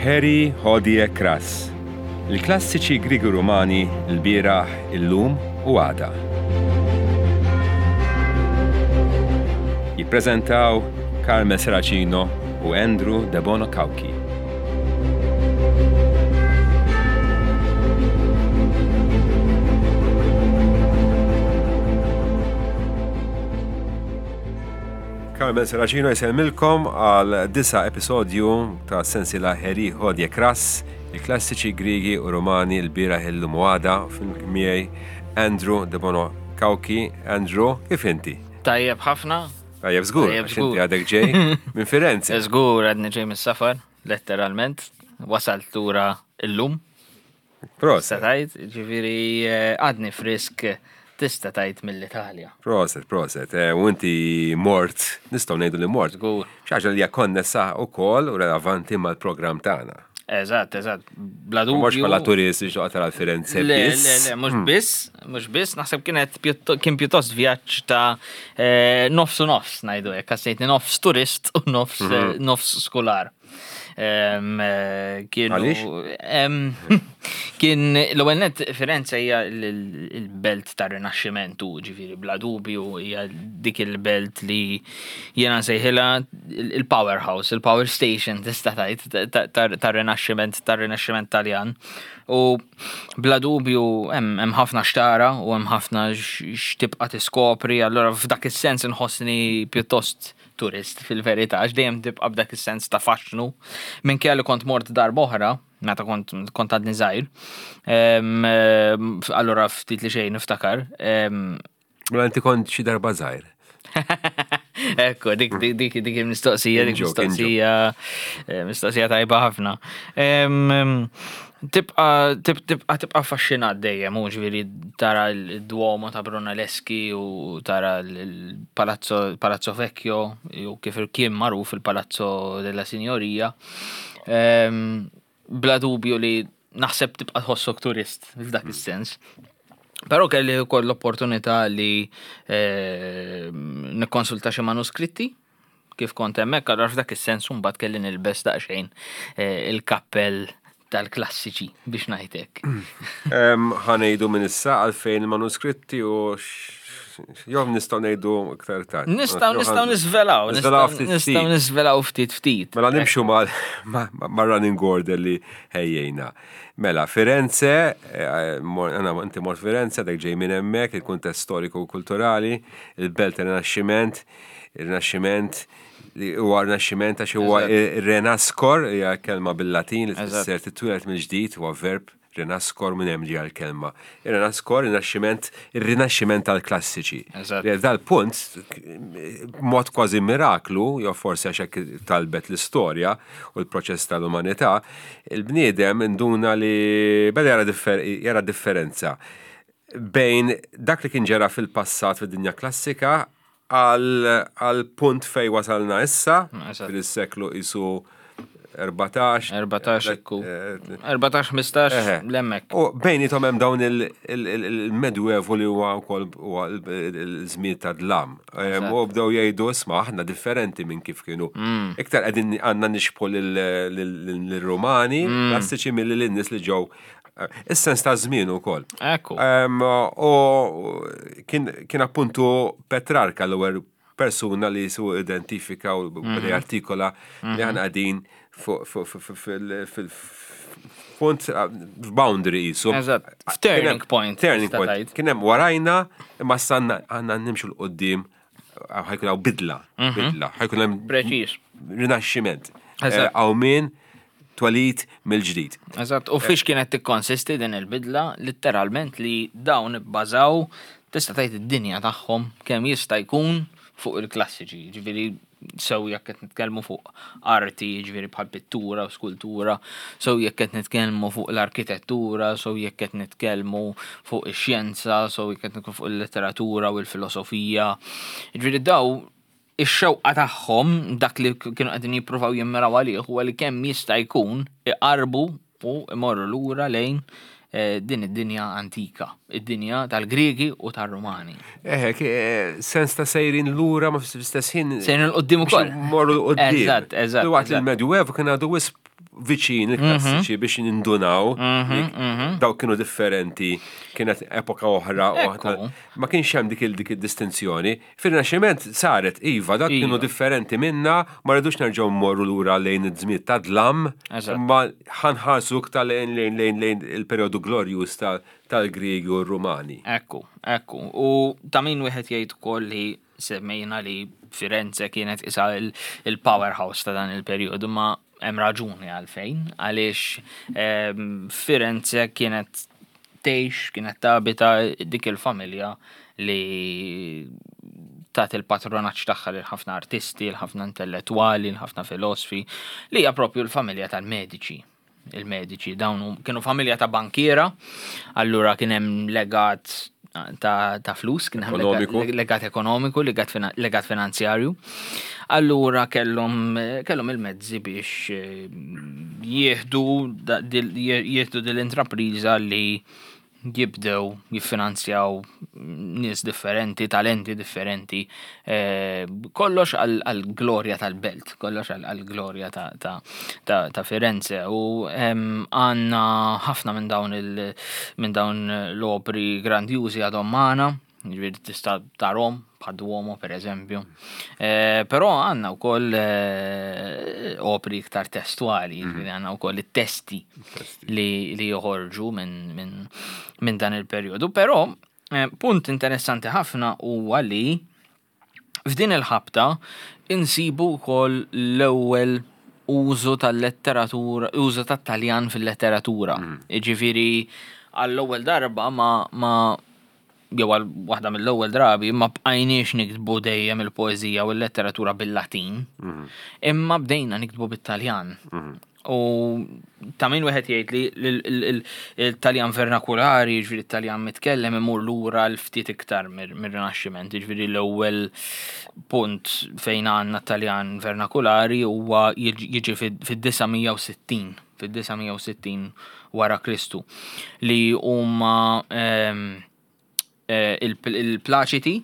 Harry Hodie Kras, il-klassiċi Griegi Rumani l-bieraħ, illum u għada. Jippreżentaw Carmel Serracino u Andrew Debono Cauchi. Carmen Serracino jsellmilkom għal disa episodju ta' sensiela Heri Hodje Kras, il-klassiċi Griegi u Romani l-bieraħ illum u għada miegħi Andrew Debono Cauchi. Andrew, kif inti? Tajjeb ħafna. Tajjeb żgur, għax inti għadek ġej minn Firenze. Żgur għadni ġej mis-safar, letteralment. Wasalt lura illum. Proset. Tista' tgħid, ġifieri eh, għadni frisk tista' tgħid mill-Italja. Proset, proset. Eh, u inti mort, nistgħu ngħidu li mort. Żgur. Xi ħaġa li hija konnessa wkoll u relevanti mal-programm tagħna. Eżatt, eżatt. Bla dubju. Mhux bħala turist biex toqgħod tara Firenze Le, le, le, mhux hmm. biss, mhux biss, naħseb kienet kien pjuttost vjaġġ ta' eh, nofs u nofs ngħidu hekk, ħassejtni nofs turist u nofs mhm. nofs skular. Eh, kienu. Kien l-ewwel net Firenze hija l-belt tar-Rinaxximentu, ġifieri bla dubju hija dik il-belt li jiena nsejħilha il-powerhouse, il-power station tista' tgħid tar-Rinaxximent tar-Rinaxximent Taljan. U bla dubju hemm ħafna xtara u hemm ħafna x'tibqa' tiskopri, allura f'dak is-sens inħossni pjuttost turist fil-verità, għax dejjem tibqa' b'dak is-sens ta' faxxnu. Minkejja li kont mort darba oħra, meta kont kont għadni żgħir. Allura ftit li xejn niftakar. Mela inti kont xi darba żgħir. Ekku, dik dik dik il-mistoqsija, dik mistoqsija, eh, mistoqsija tajba ħafna. Tibqa' tibqa' tibqa' affaxxinat dejjem, hu ġifieri tara l-Duomo ta' Brunelleschi u tara l-Palazzo Palazzo Vecchio jew kif kien magħruf il-Palazzo della Signoria. Ehm, bla dubju li naħseb tibqa' tħossok turist f'dak mm. is-sens. Però kelli wkoll l-opportunità li ehm, nikkonsulta xi manuskritti kif kont hemmhekk, allura f'dak is-sens mbagħad kelli nilbes daqsxejn eh, il-kappell tal-klassiċi biex ngħid hekk. Ħa ngħidu minn issa għalfejn il-manuskritti u jew nistgħu ngħidu iktar tard. Nistgħu nistgħu niżvelaw, nistgħu niżvelaw ftit ftit. Mela nimxu ma' running order li ħejjejna. Mela, Firenze, eh, inti mort Firenze, dak ġej minn hemmhekk, il-kuntest storiku u kulturali, il-belt Rinaxximent, Il-Rinaxximent li huwa Rinaxximent għax huwa renaskor, hija kelma bil-Latin li tfisser titwieled mill-ġdid, huwa verb renaskor minn hemm ġejja l-kelma. Ir-renaskor, rinaxximent, ir-rinaxximent tal-klassiċi. Dal-punt, mod kważi miraklu, jew forsi għax hekk talbet l-istorja u l-proċess tal-umanità, il-bniedem induna li beda jara differenza bejn dak li kien ġara fil-passat fid-dinja klassika għal punt fej wasalna issa, fil-seklu isu 14. 14, ekku. 14, 15, l-emmek. U bejnietom hemm dawn il-medjuevu li huwa wkoll huwa l-żmien ta' dlam. U bdew jgħidu isma' aħna differenti minn kif kienu. Mm. Iktar qegħdin għandna nixbħu lill-Rumani mm. klassiċi milli lin-nies li ġew Is-sens ta' żmien ukoll. Ekku. U kien appuntu Petrarka l-ewwel persuna li su identifika u beda mhm. jartikola li mhm. aħna qegħdin fil-punt f'boundary jisu. Eżatt, f'turning point. Turning point. Kien hemm warajna imma sanna għandna nimxu l-qoddim ħajkun hawn bidla, mhm. bidla, ħajkun hemm preċiż. Rinaxximent. Qawmien twelid mill-ġdid. Eżatt, u fiex kienet tikkonsisti din il-bidla, litteralment li dawn ibbażaw tista' tgħid id-dinja tagħhom kemm jista' jkun fuq il-klassiċi, ġifieri sew jekk qed nitkellmu fuq arti, jiġifieri bħal pittura u skultura, sew jekk qed nitkellmu fuq l-arkitettura, sew jekk qed nitkellmu fuq ix-xjenza, sew jekk qed nitkellmu fuq il-letteratura u l-filosofija. Jiġifieri daw ix-xewqa tagħhom, dak li kienu qegħdin jippruvaw jimmiraw għalih huwa li kemm jista' jkun iqarrbu u imorru lura lejn eh, din id-dinja antika. id-dinja tal-Griegi u tar-Rumani. Eħe, eh, sens ta' sejrin lura ma fl-istess ħin. Sejrin l-qoddim ukoll. Morru l-qoddim. Eżatt, eżatt. Waqt il-Medjuevu kien għadu wisq viċin il-klassiċi mhm. biex nindunaw mhm, mhm. dawk kienu differenti, kienet epoka oħra, ma kienx hemm dik dik id-distinzjoni. Fir-Rinaxximent saret, iva, dak kienu iva. differenti minna, ma rridux nerġgħu mmorru lura lejn iż-żmien ta' dlam, imma ħanħarsu iktar lejn lejn lejn lejn il-perjodu glorjuż tal-Griegi u r-Rumani. Ekku, ekku. U ta' min wieħed jgħid ukoll li semmejna li Firenze kienet isa il-powerhouse ta' dan il-perjodu, ma hemm raġuni għalfejn, għaliex ehm, Firenze kienet tgħix, kienet tabita dik il-familja li tat il-patronaġġ tagħha lil ħafna artisti, l ħafna intellettwali, l ħafna filosfi, li hija propju l-familja tal-Medici. Il-Medici dawn kienu familja ta' bankiera, allura kien hemm legat ta', ta flus, kien hemm legat ekonomiku, legat, legat finanzjarju. Allura kellhom kellhom il-mezzi biex eh, jieħdu jieħdu dil-intrapriża li jibdew jiffinanzjaw nies differenti, talenti differenti, eh, kollox għal-glorja tal-belt, kollox għal-glorja ta' Firenze u għanna ħafna minn dawn minn dawn l-opri grandjużi għadhom magħna, Ġifieri tista' tarhom bħad Duomo per eżempju. Eh, però għandna wkoll eh, opri iktar testwali, mhm. ġifieri għandna wkoll it-testi li, li joħorġu minn min, min dan il-perjodu. Però eh, punt interessanti ħafna huwa li f'din il-ħabta insibu wkoll l-ewwel użu tal-letteratura, użu tat-Taljan fil-letteratura. Mm. Ġifieri għall-ewwel darba ma, ma jew għal waħda mill-ewwel drabi ma bqajniex niktbu dejjem il-poeżija u l-letteratura bil-Latin, mhm. imma bdejna niktbu bit-Taljan. Mhm. U ta' min wieħed jgħid li l-Taljan vernakulari, ġifieri t-Taljan mitkellem imur lura l-ftit iktar mir-Rinaxximent, ġifieri l-ewwel punt fejn għandna Taljan vernakulari huwa jiġi fid-960, fid-960 wara Kristu li huma ehm, eh, il-plaċiti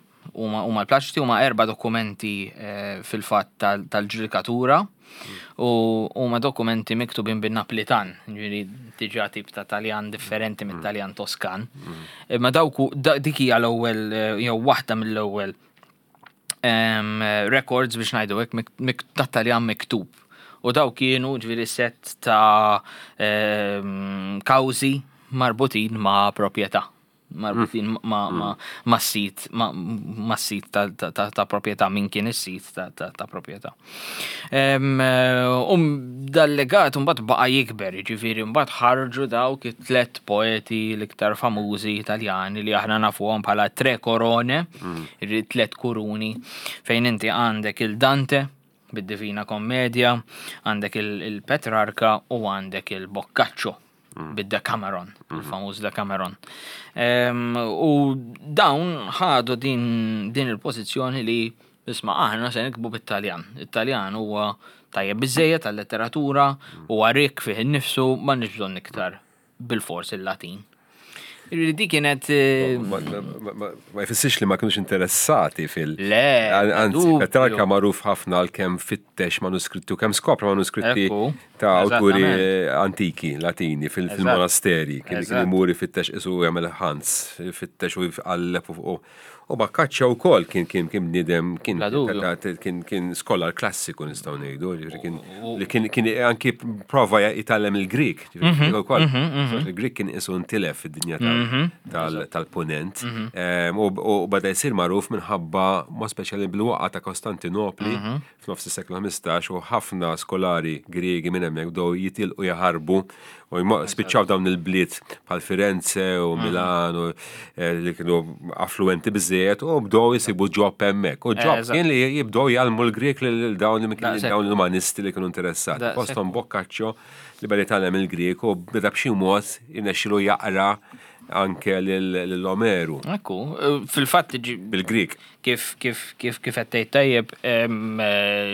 huma huma l-plaċiti huma erba' dokumenti eh, fil-fatt tal-ġudikatura u huma dokumenti miktubin bin-Naplitan, ġifieri diġà tip ta' Taljan differenti mm. mit-Taljan Toskan. Mm. Imma dawk dik hija l-ewwel eh, jew waħda mill-ewwel records biex ngħidu hekk tat-Taljan miktub. U daw kienu ġifieri set ta' kawżi marbutin ma' proprjetà marbutin mm. ma' mm. ma' sit ma' sit ta' proprjetà min kien is-sit ta' proprjetà. Um dal-legat mbagħad baqa' jikber, jiġifieri mbagħad ħarġu dawk it-tlet poeti l-iktar famużi Italjani li aħna nafuhom bħala tre corone, mm. tlet kuruni, fejn inti għandek il-Dante bid-Divina Kommedja, għandek il-Petrarka u għandek il-Boccaccio mm. bid-Decameron, mm. il-famuż Decameron. U dawn ħadu din, din il-pożizzjoni li Isma' aħna se niktbu bit-Taljan. It-Taljan huwa tajjeb biżżejjed għal-letteratura, huwa rikk fih innifsu, m'għandniex bżonn iktar bilfors il-Latin. Jiġifieri dik kienet. Eh, ma jfissirx li ma kienux interessati fil. Le. Anzi, Petrarka magħruf ħafna għal kemm fittex manuskritti u kemm skopra manuskritti ta' awturi antiki, Latini, fil-monasteri. Kien imur ifittex isu jagħmel ħans, fittex u jqalleb u U Boccaccio wkoll kien kien kien bniedem kien kien kien skolar klassiku nistgħu ngħidu, ġifieri kien li kien kien anki prova jitgħallem il-Grieg, ġifieri mhm, ukoll. Mhm, mhm. Il-Grieg kien isu ntilef fid-dinja tal-punent. U beda jsir magħruf minħabba mod speċjali bil-waqgħa ta' Kostantinopli f'nofs is-seklu 15 u ħafna skolari Griegi minn hemmhekk bdew jitilqu jaħarbu u spiċċaw dawn il-bliet bħal Firenze u mm. Milan u eh, li kienu affluenti biżejjed u bdew jisibu ġob hemmhekk. U ġob eh, kien li jibdew jgħallmu l-Grieg lil dawn dawn l-umanisti li kienu interessati. Fosthom Boccaccio li beda jitgħallem il-Grieg u beda b'xi mod jirnexxilu jaqra. anke lil Omeru. Ekku, fil-fatt bil-Grik. Kif kif kif kif qed tgħid tajjeb,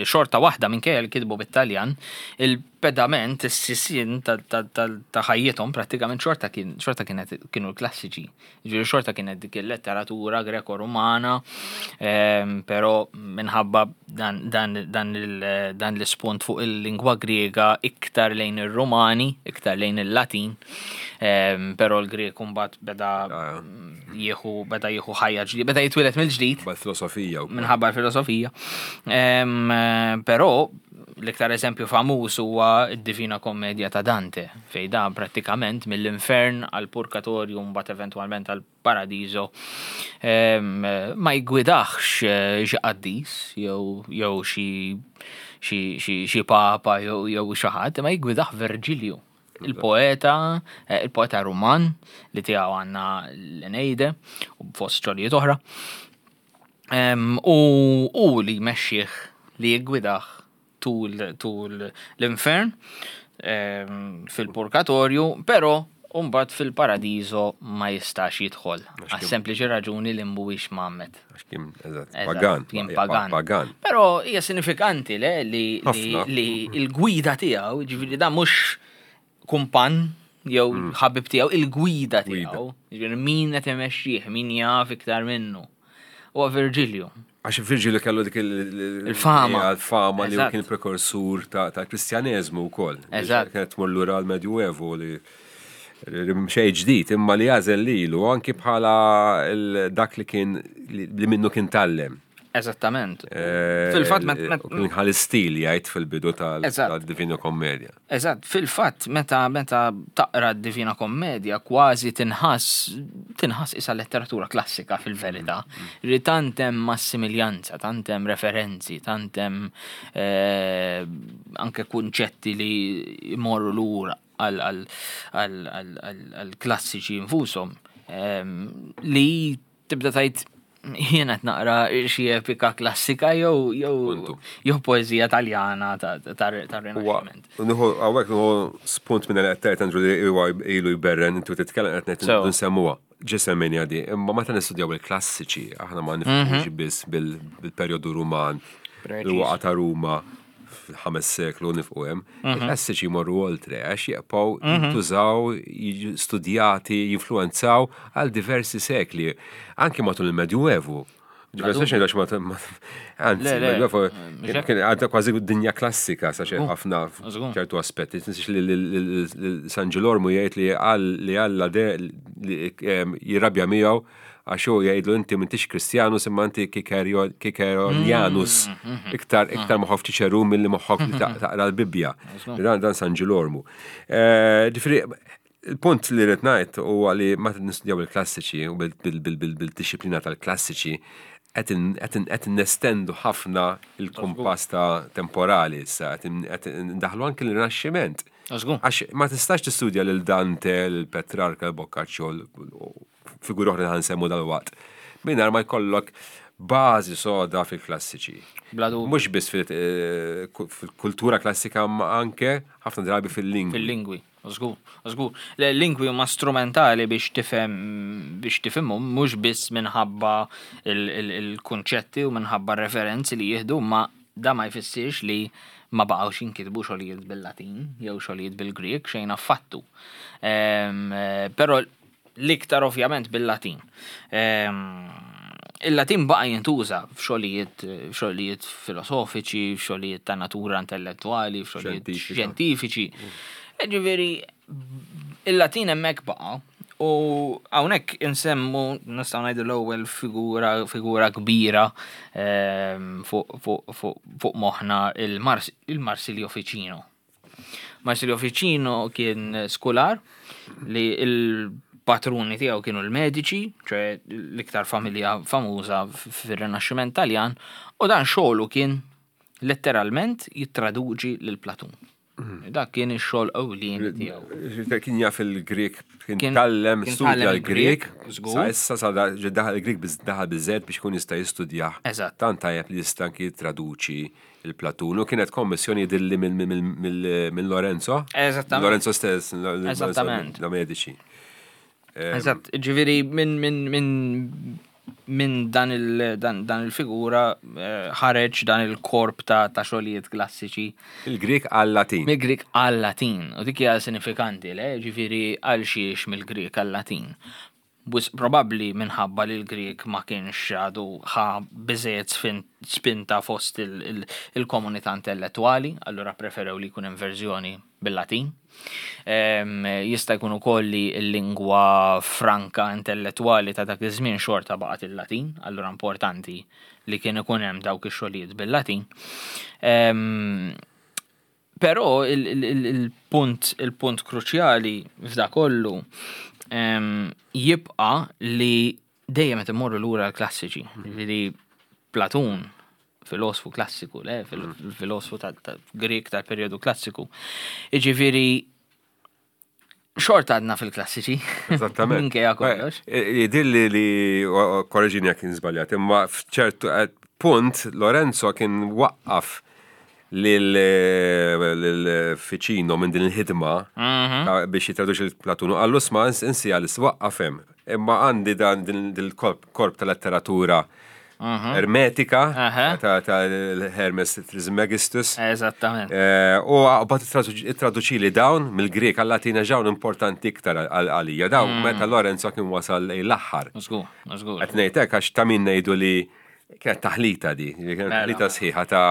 xorta waħda minkejja li kitbu bit-Taljan, il-pedament, is-sisien ta' ħajjithom prattikament xorta kien xorta kienet kienu l-klassiċi. Ġifieri xorta kienet dik il-letteratura Greko-Rumana, però minħabba dan dan dan dan l-ispunt fuq il-lingwa Griega iktar lejn ir-Rumani, iktar lejn il-Latin, però l-Grieg mbagħad beda jieħu beda jieħu ħajja ġdida, beda jitwieled mill-ġdid. Minħabba l-filosofija. Minħabba l-filosofija. Però l-iktar eżempju famuż huwa d-Divina Kommedja ta' Dante, fejn dan prattikament mill-infern għal purgatorju mbagħad eventwalment għal paradiso ma jgwidaħx xi qaddis jew jew xi xi papa jew xi ħadd, ma jgwidaħ Verġilju. Il-poeta, eh, il-poeta Ruman li tiegħu għandna l-Eneide u fost xogħlijiet oħra. U u li jmexxih li jiggwidah tul tul l-infern fil-purgatorju, però mbagħad fil-paradiso ma jistax jidħol. Għas sempliċi raġuni li mhuwiex mgħammed. Għax kien, eżatt, pagan. Kien pagan. Pagan. Però hija sinifikanti le li li l-gwida tiegħu, ġifieri dan mhux kumpan jew mm. ħabib tiegħu, il-gwida tiegħu. Ġifieri min qed imexxih, min jaf iktar minnu. Huwa Virgilio. Għax Virgilio kellu dik il-fama. Il-fama li kien prekursur ta' kristjaneżmu wkoll. Eżatt. Kienet tmur lura l-Medjuevu li xejn ġdid, imma li għażel lilu anki bħala dak li kien li minnu kien tallem. Eżattament. Eh, fil-fatt kien ħal istil jgħid fil-bidu tal-Divina Kommedja. Eżatt, fil-fatt meta meta taqra d-Divina Kommedja kważi tinħass tinħass isa letteratura klassika fil-verità. Mm. Li tant hemm massimiljanza, tant hemm referenzi, tant hemm eh, anke kunċetti li jmorru lura għall-klassiċi infushom li tibda tajt jiena qed naqra xi epika klassika jew jew jew poeżija Taljana tar-Rinaxximent. Nieħu hawnhekk nieħu spunt minn qed tgħid Andrew li huwa ilu jberren intu titkellem qed ngħid nsemmuha. Ġi semmejni għadi, imma meta nistudjaw il-klassiċi, aħna ma nifhmux biss bil-perjodu Ruman, il-waqa ta' Ruma, fil-ħames seklu nifqu hemm, mhm. il-klassiċi jmorru oltre għax jibqgħu mhm. jintużaw, studjati, jinfluenzaw għal diversi sekli, anki matul il-Medjuevu. Ġifieri għax ma anzi, Medjuevu kien għadha kważi dinja klassika sa xejn ħafna ċertu aspetti. Tinsiex li San Ġilormu jgħid li li Alla jirrabja miegħu Għax hu jgħidlu inti m'intix Kristjanus imma inti Kikeronianus. Mm, mm, mm, iktar iktar moħħok Ċiċeru milli moħħok li taqra l-Bibbja. Dan dan San Ġilormu. Eh, ġifieri il-punt li rrid ngħid huwa li meta nistudjaw il-klassiċi u bil-disciplina tal-klassiċi qed nestendu ħafna il-kumpass ta' temporali issa, qed ndaħlu anki l-Rinaxximent. Għax ma tistax tistudja lil Dante, lil Petrarca, l Boccaccio, figuri oħra li ħansemmu dal-waqt, mingħajr ma jkollok bażi soda fil-klassiċi. Mhux biss eh, fil-kultura klassika ma anke ħafna drabi fil-lingwi. Fil-lingwi, żgur, żgur. Lingwi huma strumentali biex tifhem biex tifhimhom mhux biss minħabba il-kunċetti u minħabba referenzi li jieħdu, ma da ma jfissirx li ma baqgħux jinkitbu xogħlijiet bil-Latin jew xogħlijiet bil-Grieg xejn affattu. Ehm, eh, però L-iktar ovvjament bil-Latin. Ehm, il-Latin baqa' jintuża f'xogħlijiet f'xogħlijiet filosofiċi, f'xogħlijiet ta' natura intellettwali, f'xogħlijiet xjentifiċi. Ġifieri il-Latin hemmhekk baqa' u hawnhekk insemmu nistgħu ngħidu l-ewwel figura figura kbira ehm, fuq moħħna il-Marsilio Ficino. Marsilio Ficino kien skular li il-patruni tiegħu kienu l-Medici, ċe l-iktar familja famuża fir-Rinaxximent Taljan, u dan xogħlu kien letteralment jittraduġi lil Platun. Mhm. Dak kien ix-xogħol ewlieni tiegħu. Kien jaf il-Grek, kien tallem studja l-Grek, sa issa sa daħal il-Grek daħal biżżejjed biex ikun jista' jistudjah. Eżatt. Tant tajjeb li jista' anki jittraduċi il-Platun u kienet kommissjoni jidhirli minn Lorenzo. Eżattament. Lorenzo stess. Eżattament. Da Medici. Eżatt, ġifieri minn min, min, min dan il, dan, dan il-figura eh, ħareġ dan il-korp ta', ta xogħlijiet klassiċi. Il-Grik għal-Latin. Mill-Grik għal-Latin. U dik hija sinifikanti, le? Ġifieri għal xiex mill-Grik għal-Latin. Wisq probabbli minħabba li l-Grieg ma kienx għadu ħa biżżejjed spinta fost il-komunità intellettwali, allura ppreferew li jkun hemm verżjoni bil-Latin. Jista' jkun ukoll li l-lingwa franka intellettwali ta' dak iż-żmien xorta baqgħet il-Latin, allura importanti li kien ikun hemm dawk ix-xogħlijiet bil-Latin. Però il-punt il-punt kruċjali f'da kollu jibqa' li dejjem qed immorru lura l-klassiċi. Ġifieri Platun, filosfu klassiku, le, filosfu tal-Grieg tal-perjodu klassiku. Jiġifieri xorta għadna fil-klassiċi. Eżattament. Minkejja kollox. Jidhirli li, korreġini jekk żbaljat, imma f'ċertu punt Lorenzo kien waqqaf lil Ficino minn din il-ħidma mhm. biex jitraduċi l-Platun u qallu sma insi għal waqqaf hemm. Imma għandi dan din il-korp ta' letteratura mhm. ermetika ta' Hermes Trismegistus. Eżattament. Eh, u bat traduċili dawn mill-Grek għal-Latina ġawn importanti iktar għalija. Dawn mm. meta Lorenzo kien wasal l-aħħar. Żgur. Qed ngħidlek għax ta' min ngħidu li kienet taħlita di, kienet mela. taħlita sħiħa ta'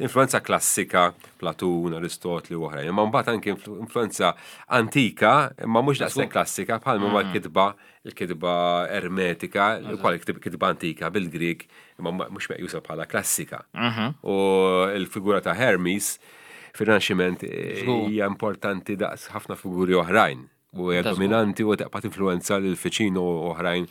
influenza klassika, Platun, Aristotli u oħrajn. Imma mbagħad anke influenza antika, imma mhux daqshekk klassika bħal ma mm. l-kitba il-kitba ermetika, ukoll kitba antika bil-Grieg, imma mhux meqjusa bħala klassika. Mhm. U l-figura ta' Hermes fir-Rinaxximent eh, hija importanti daqs ħafna figuri oħrajn u hija dominanti u taqpa' tinfluwenza lil Ficino u oħrajn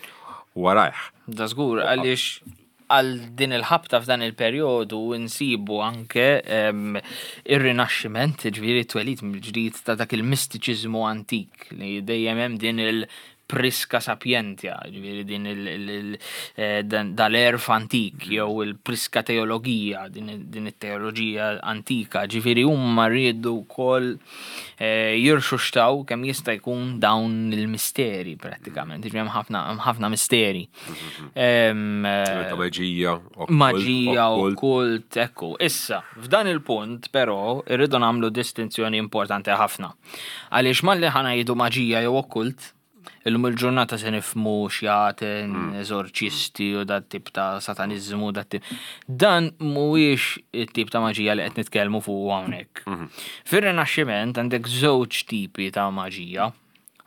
warajh. Da żgur għaliex għal din il-ħabta f'dan il-perjodu nsibu anke ir-rinaxximent, ġifieri t-twelid mill-ġdid ta' dak il-mistiċiżmu antik li dejjem hemm din il- prisca sapientia, ġifieri din eh, dal-erf antik mm. jew il-prisca teologija, din it-teoloġija antika, ġifieri huma riedu wkoll eh, jirxuxtaw kemm jista' jkun dawn il-misteri prattikament, ġifieri hemm ħafna misteri. Eh, maġija, maġija, okkult, ekku. Issa, f'dan il-punt però irridu nagħmlu distinzjoni importanti ħafna. Għaliex malli ħa ngħidu maġija jew okkult, illum il-ġurnata se nifhmu xjaten, mm. eżorċisti u dat tip ta' sataniżmu, dat tip. Dan mhuwiex it-tip ta' maġija li qed nitkellmu fuq hawnhekk. Mhm. Fir-Rinaxximent għandek żewġ tipi ta' maġija.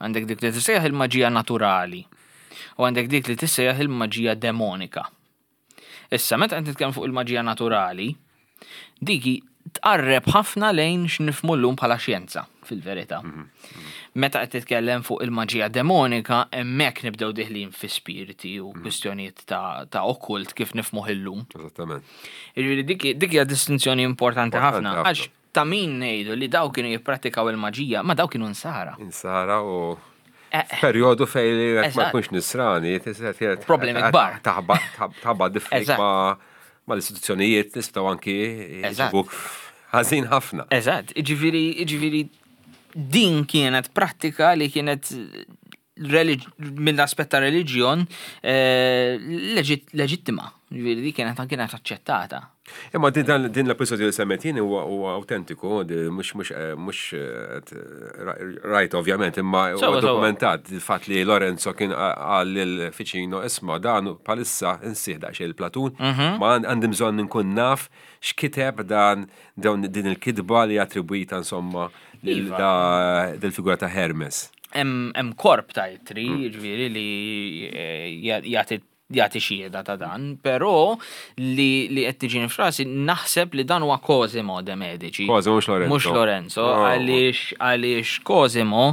Għandek dik li tissejjaħ il-maġija naturali u għandek dik li tissejjaħ il-maġija demonika. Issa, meta qed nitkellem fuq il-maġija naturali, dik tqarreb ħafna lejn x'nifhmu llum bħala xjenza, fil-verità. Mhm. Meta qed titkellem fuq il-maġija demonika, hemmhekk nibdew diħlin fi spiriti u mhm. kwistjonijiet ta', ta okkult kif nifhmuh illum. Eżattament. Jiġifieri dik hija distinzjoni importanti ħafna għax Ta' min ngħidu li dawk kienu jipprattikaw il-maġija, ma dawk kienu nsara. Insara u eh, eh. perjodu fej li ma tkunx nisrani, problemi kbar. Taħba diffik ma ma l-istituzzjonijiet nistgħu anki jġibuk ħażin ħafna. Eżatt, ġifieri ġifieri din kienet prattika li kienet mill-aspett ta' reliġjon eh, leġittima, ġifieri di kienet kienet aċċettata. Imma din din l-episodju li semmet jien huwa autentiku, mhux mhux eh, mhux eh, rajt ovvjament, imma huwa dokumentat il-fatt li Lorenzo kien qal lil Ficino isma' dan bħalissa insih daqsxejn il-Platun, mhm. ma għandi bżonn inkun naf x'kiteb dan din il-kitba li attribwita insomma lil iva. figura ta' Hermes. Hemm korp ta' ittri, mm. jiġifieri li eh, jagħti jagħti xhieda ta' dan, però li li qed tiġini frasi naħseb li dan huwa Cosimo de Medici. Cosimo mhux Lorenzo. Mhux Lorenzo, oh. għaliex għaliex Cosimo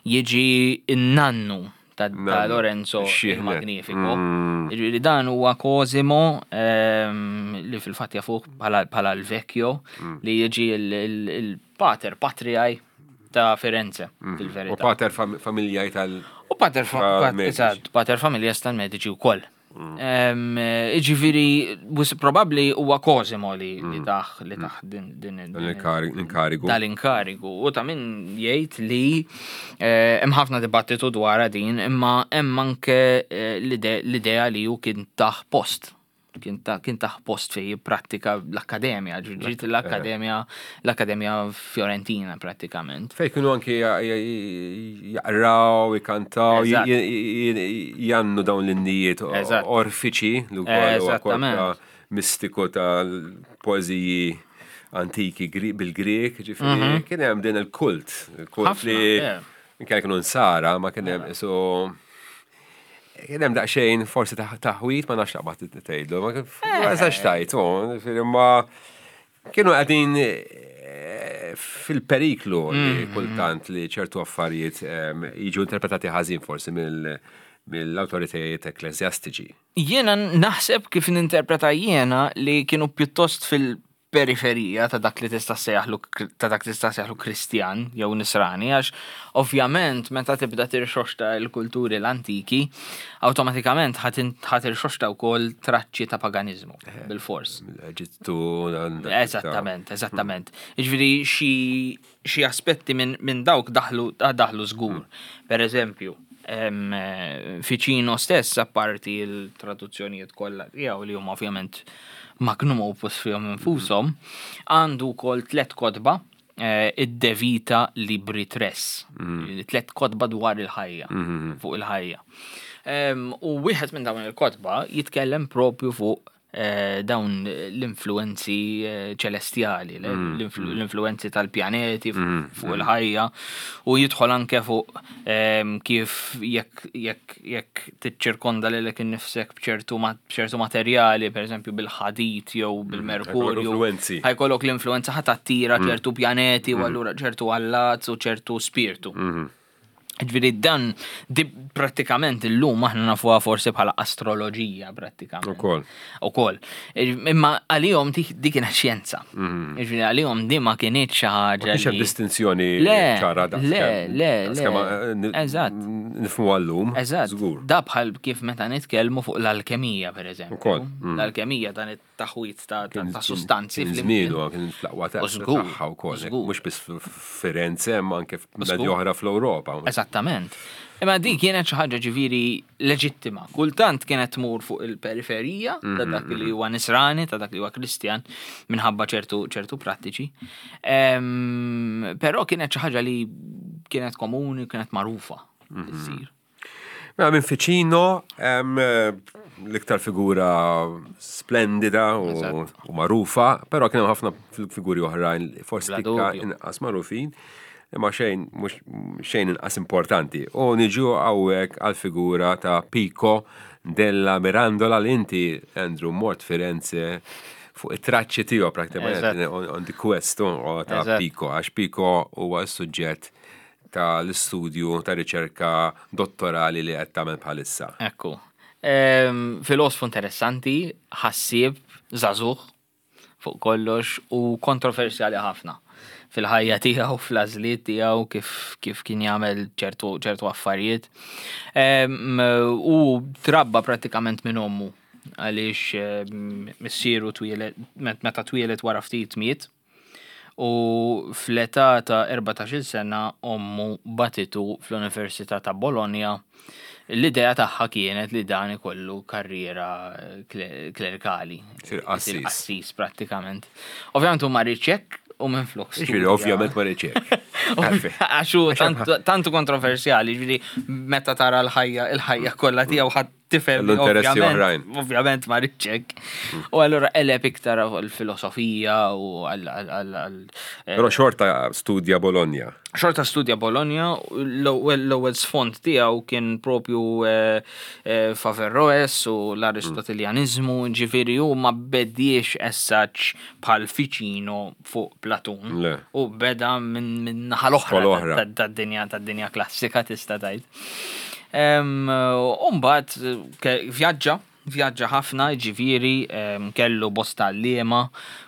jiġi n-nannu ta' Lorenzo il Magnifico. Mm. Jiġifieri dan huwa Cosimo ehm, li fil-fatt jafuh bħala l-vecchio mm. li jiġi il-pater patriaj ta' Firenze mm. fil-verità. U pater familjaj tal- U pater pater familjas tal-Medici wkoll. Ġifieri, probabbli huwa Cosimo li li taħ li taħ din din L-inkarigu. Dal-inkarigu. U ta' min jgħid li eh, hemm ħafna dibattitu dwar din, imma hemm anke eh, l-idea li hu kien taħ post kien taħ post fej jipprattika l-akkademja, ġiet l-akkademja, l-akkademja Fiorentina prattikament. Fej kienu anki jaqraw, jkantaw, jannu dawn l-innijiet orfiċi, l-ukoll mistiku tal-poeżiji antiki bil-Grieg, ġifieri mhm. kien hemm din il-kult, il-kult li kien kienu nsara, ma kien hemm so kien hemm daqsxejn forsi taħwit ma nafx taqbad tgħidlu, ma eh. eżax tajt, ġifieri ma kienu qegħdin eh, fil-periklu li mhm. kultant li ċertu affarijiet eh, jiġu interpretati ħażin forsi mill-awtoritajiet ekklesjastiċi. Jiena naħseb kif ninterpreta jiena li kienu pjuttost fil-periferija ta' dak li tista' ssejjaħlu ta' dak li tista' ssejjaħlu Kristjan jew Nisrani għax ovvjament meta tibda tirxoxta l-kulturi l-antiki awtomatikament ħa tirxoxta wkoll traċċi ta' paganiżmu eh, bilfors. Eġittu. Eżattament, eżattament. Jiġifieri xi xi aspetti minn dawk daħlu daħlu żgur. Per eżempju, Ficino stess apparti l-traduzzjonijiet kollha tiegħu li huma ovvjament magnum opus fihom infushom, għandu wkoll tliet kotba eh, id-De Vita Libri Tres, mm. tliet kotba dwar il-ħajja, mm-hmm. fuq il-ħajja. U wieħed minn dawn il-kotba jitkellem propju fuq Eh, dawn l-influenzi eh, ċelestjali, mm, mm. l-influenzi tal-pjaneti mm, fuq il-ħajja u jidħol anke fuq ehm, kif jekk jekk jekk tiċċirkonda lilek innifsek b'ċertu materjali, per eżempju bil-ħadid jew bil-merkurju. Ħajkollok l-influenza ħa tattira ċertu pjaneti u allura ċertu allat u ċertu spirtu. Mm-hmm. Ġifieri dan di prattikament illum aħna nafuha forsi bħala astroloġija prattikament. Ukoll. Ukoll. Imma għalihom di kienet xjenza. Mhm. Ġifieri għalihom di ma kienet xi ħaġa. Ma kienx hemm distinzjoni ċara da. Le, le, le. Eh, Eżatt. Nifhmu għallum. Eżatt. Da bħal kif meta nitkellmu fuq l-alkemija pereżempju. Ukoll. Mm. L-alkemija dan taħwit ta' sustanzi. Kien żmienu kien fl-aqwa tagħha wkoll, mhux biss Firenze, ma anke f'bnadi oħra fl-Ewropa. Eżattament. Imma din kienet xi ħaġa ġifieri leġittima. Kultant kienet tmur fuq il-periferija ta' mhm, dak li mhm. huwa nisrani, ta' dak li huwa Kristjan, minħabba ċertu ċertu prattiċi. Però kienet xi ħaġa li kienet komuni, kienet magħrufa mhm. ssir. Mela minn Ficino l-iktar figura splendida u magħrufa, però kien hemm ħafna figuri oħrajn forsi tikka inqas magħrufin, imma xejn mhux xejn inqas importanti. U niġu hawnhekk għal figura ta' Pico della Mirandola li inti Andrew mort Firenze fuq it-traċċi tiegħu prattikament on the quest ta' Pico, għax Pico huwa s-suġġett ta' l-istudju ta' riċerka dottorali li qed tagħmel bħalissa. Ekku. Ehm, filosfu interessanti, ħassieb, żagħżugħ fuq kollox u kontroversjali ħafna fil-ħajja tiegħu, fl-għażliet tiegħu kif, kif kien jagħmel ċertu, ċertu affarijiet. Ehm, u trabba prattikament minn ommu għaliex ehm, missieru twieled meta twieled wara ftit miet. U fl-età ta' 14-il sena ommu bagħtitu fl-Università ta' Bologna. L-idea tagħha kienet li dan ikollu karriera klerikali. Isir qassis. Isir qassis prattikament. Ovvjament hu ma riedx hekk u minflok studja. Jiġifieri ovvjament ma riedx hekk. Għax hu tant hu kontroversjali, jiġifieri meta tara l-ħajja, il-ħajja kollha tiegħu ħadd tifhem Kellu interessi oħrajn. Ovvjament ma rridx hekk. U allura qeleb iktar fuq il-filosofija u għal eh, Però xorta studja Bologna. Xorta studja Bologna, l-ewwel sfond tiegħu kien propju eh, eh, f'Averroes u l-Aristoteljaniżmu, ġifieri hu ma bediex essaġġ bħal Ficino fuq Platun. U beda minn naħa l-oħra tad-dinja tad-dinja klassika tista' tgħid. U mbagħad vjaġġa. Vjaġġa ħafna, jiġifieri kellu bosta għalliema,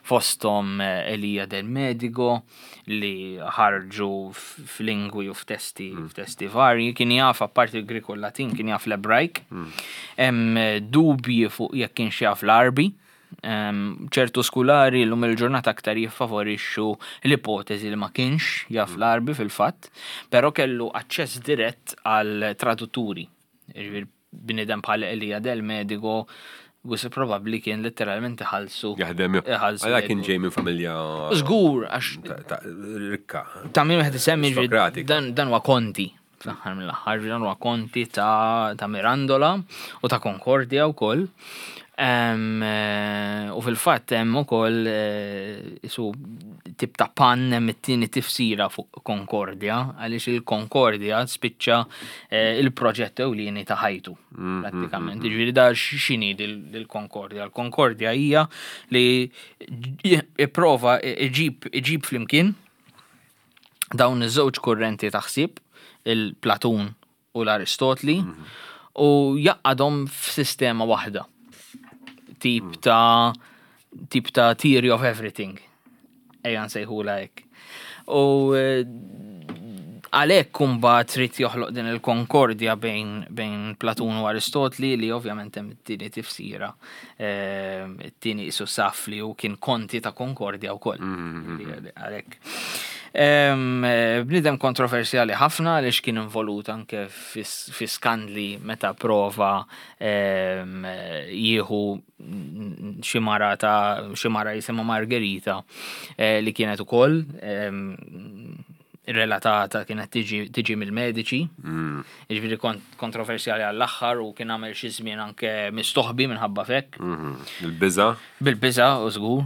fosthom Elia del Medigo li ħarġu f'lingwi u f'testi f'testi varji, kien jaf apparti l-Grieg u l-Latin kien jaf l-Ebrajk. Hemm dubji fuq jekk kienx jaf l-Għarbi. Ċertu skulari llum il-ġurnata aktar jiffavorixxu l-ipoteżi li ma kienx jaf l-Għarbi fil-fatt, però kellu aċċess dirett għal tradutturi. Jiġifieri bniedem bħal Elia del Medigo wisq probabbli kien letteralment iħallsu. Jaħdem. Iħallsu. Għala kien ġej minn familja. Żgur għax. Rikka. Ta' min wieħed isemmi dan dan huwa konti. Fl-aħħar mill-aħħar dan huwa konti ta' Mirandola u ta' Concordia wkoll. Eh, u fil-fatt hemm ukoll eh, isu tip ta' pan hemm it-tieni tifsira fuq Concordia għaliex il-Concordia spiċċa eh, il-proġett ewlieni ta' ħajtu prattikament. Jiġifieri da x'inhi dil-Concordia? Il-Concordia hija li ipprova iġib iġib flimkien dawn iż-żewġ kurrenti ta' ħsieb, il-Platun u l-Aristotli u jaqadhom f'sistema waħda. Tip ta' tip ta' theory of everything. Ejja nsejħula hekk. U eh, għalhekk kumbat trid joħloq din il-konkordja bejn, bejn Platun u Aristotli li ovvjament hemm it-tieni tifsira, eh, it-tieni isu saf li hu kien konti ta' konkordja wkoll. Għalhekk. Bniedem kontroversjali ħafna għaliex kien involut anke fi skandli meta prova jieħu xi mara ta' xi mara jisimha Margherita eh, li kienet ukoll relatata kienet tiġi mill-mediċi. Jiġifieri kontroversjali għall-aħħar u kien għamel xi żmien anke mistoħbi minħabba fek. Mhm. Il-biża. Bil-biża u żgur.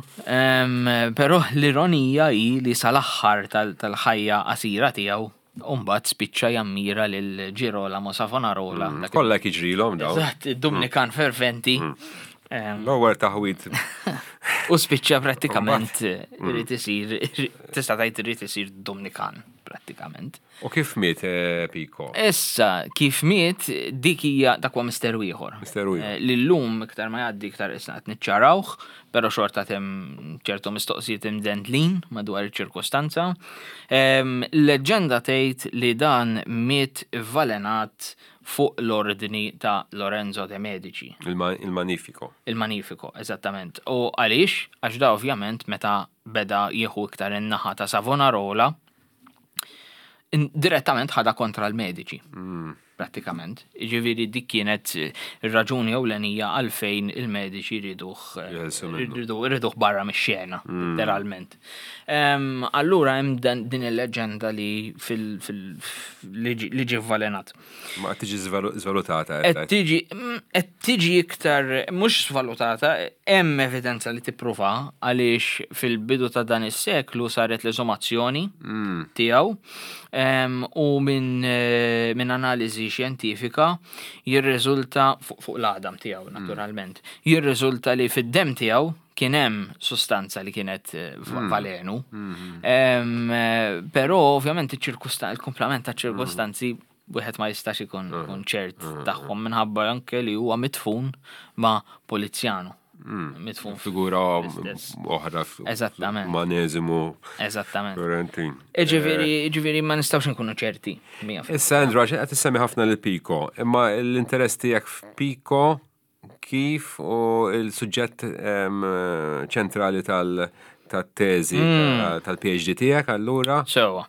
Però l-ironija hi li sal-aħħar tal-ħajja qasira tiegħu Umbat spiċċa jammira lil Girolamo Savonarola. Kollha jiġrilhom dawn. Eżatt, id-Dumnikan ferventi. L-ewwel taħwit. U spiċċa prattikament irid isir, tista' tgħid irid isir Dumnikan prattikament. U kif miet eh, Pico? Issa, kif miet, dik hija dak huwa misteru ieħor. Misteru ieħor. Eh, li llum iktar ma jgħaddi iktar isna qed niċċarawh, però xorta hemm ċertu mistoqsijiet imdendlin madwar iċ-ċirkustanza. Leġġenda tgħid li dan miet valenat fuq l-ordni ta' Lorenzo de Medici. Il-Magnifico. Il-Magnifico, eżattament. U għaliex? Għax da ovvjament meta beda jieħu iktar in-naħa ta' Savonarola, direttament ħadha kontra l-Medici. Mm. Prattikament. Ġifieri dik kienet ir-raġuni ewlenija għalfejn il-Medici jriduh jriduh barra mix-xena, letteralment. Allura hemm din il-leġenda li fil li ġie vvalenat. Ma qed tiġi żvalutata. Qed tiġi qed tiġi iktar mhux żvalutata, hemm evidenza li tippruva għaliex fil-bidu ta' dan is-seklu saret l-eżumazzjoni mm. tiegħu u minn eh, min analiżi xjentifika jirriżulta fuq l-għadam tiegħu mm. naturalment, jirriżulta li fid-dem tiegħu kien hemm sustanza li kienet eh, mm. valenu. Mm-hmm. Eh, però ovvjament il-komplement ta' ċirkustanzi mm. wieħed ma jistax ikun mm. ċert tagħhom minħabba anke li huwa mitfun ma' Polizjano. Mitfun figura oħra. Eżattament. Maneżimu. Eżattament. Florentin. Ġifieri, eh, ġifieri ma nistgħux nkunu ċerti. Issa Andrew, għax qed issemmi ħafna lil Pico, imma l-interess tiegħek f'Pico kif u il-suġġett ċentrali tal-teżi hmm. tal-PhD tiegħek allura? Sewa.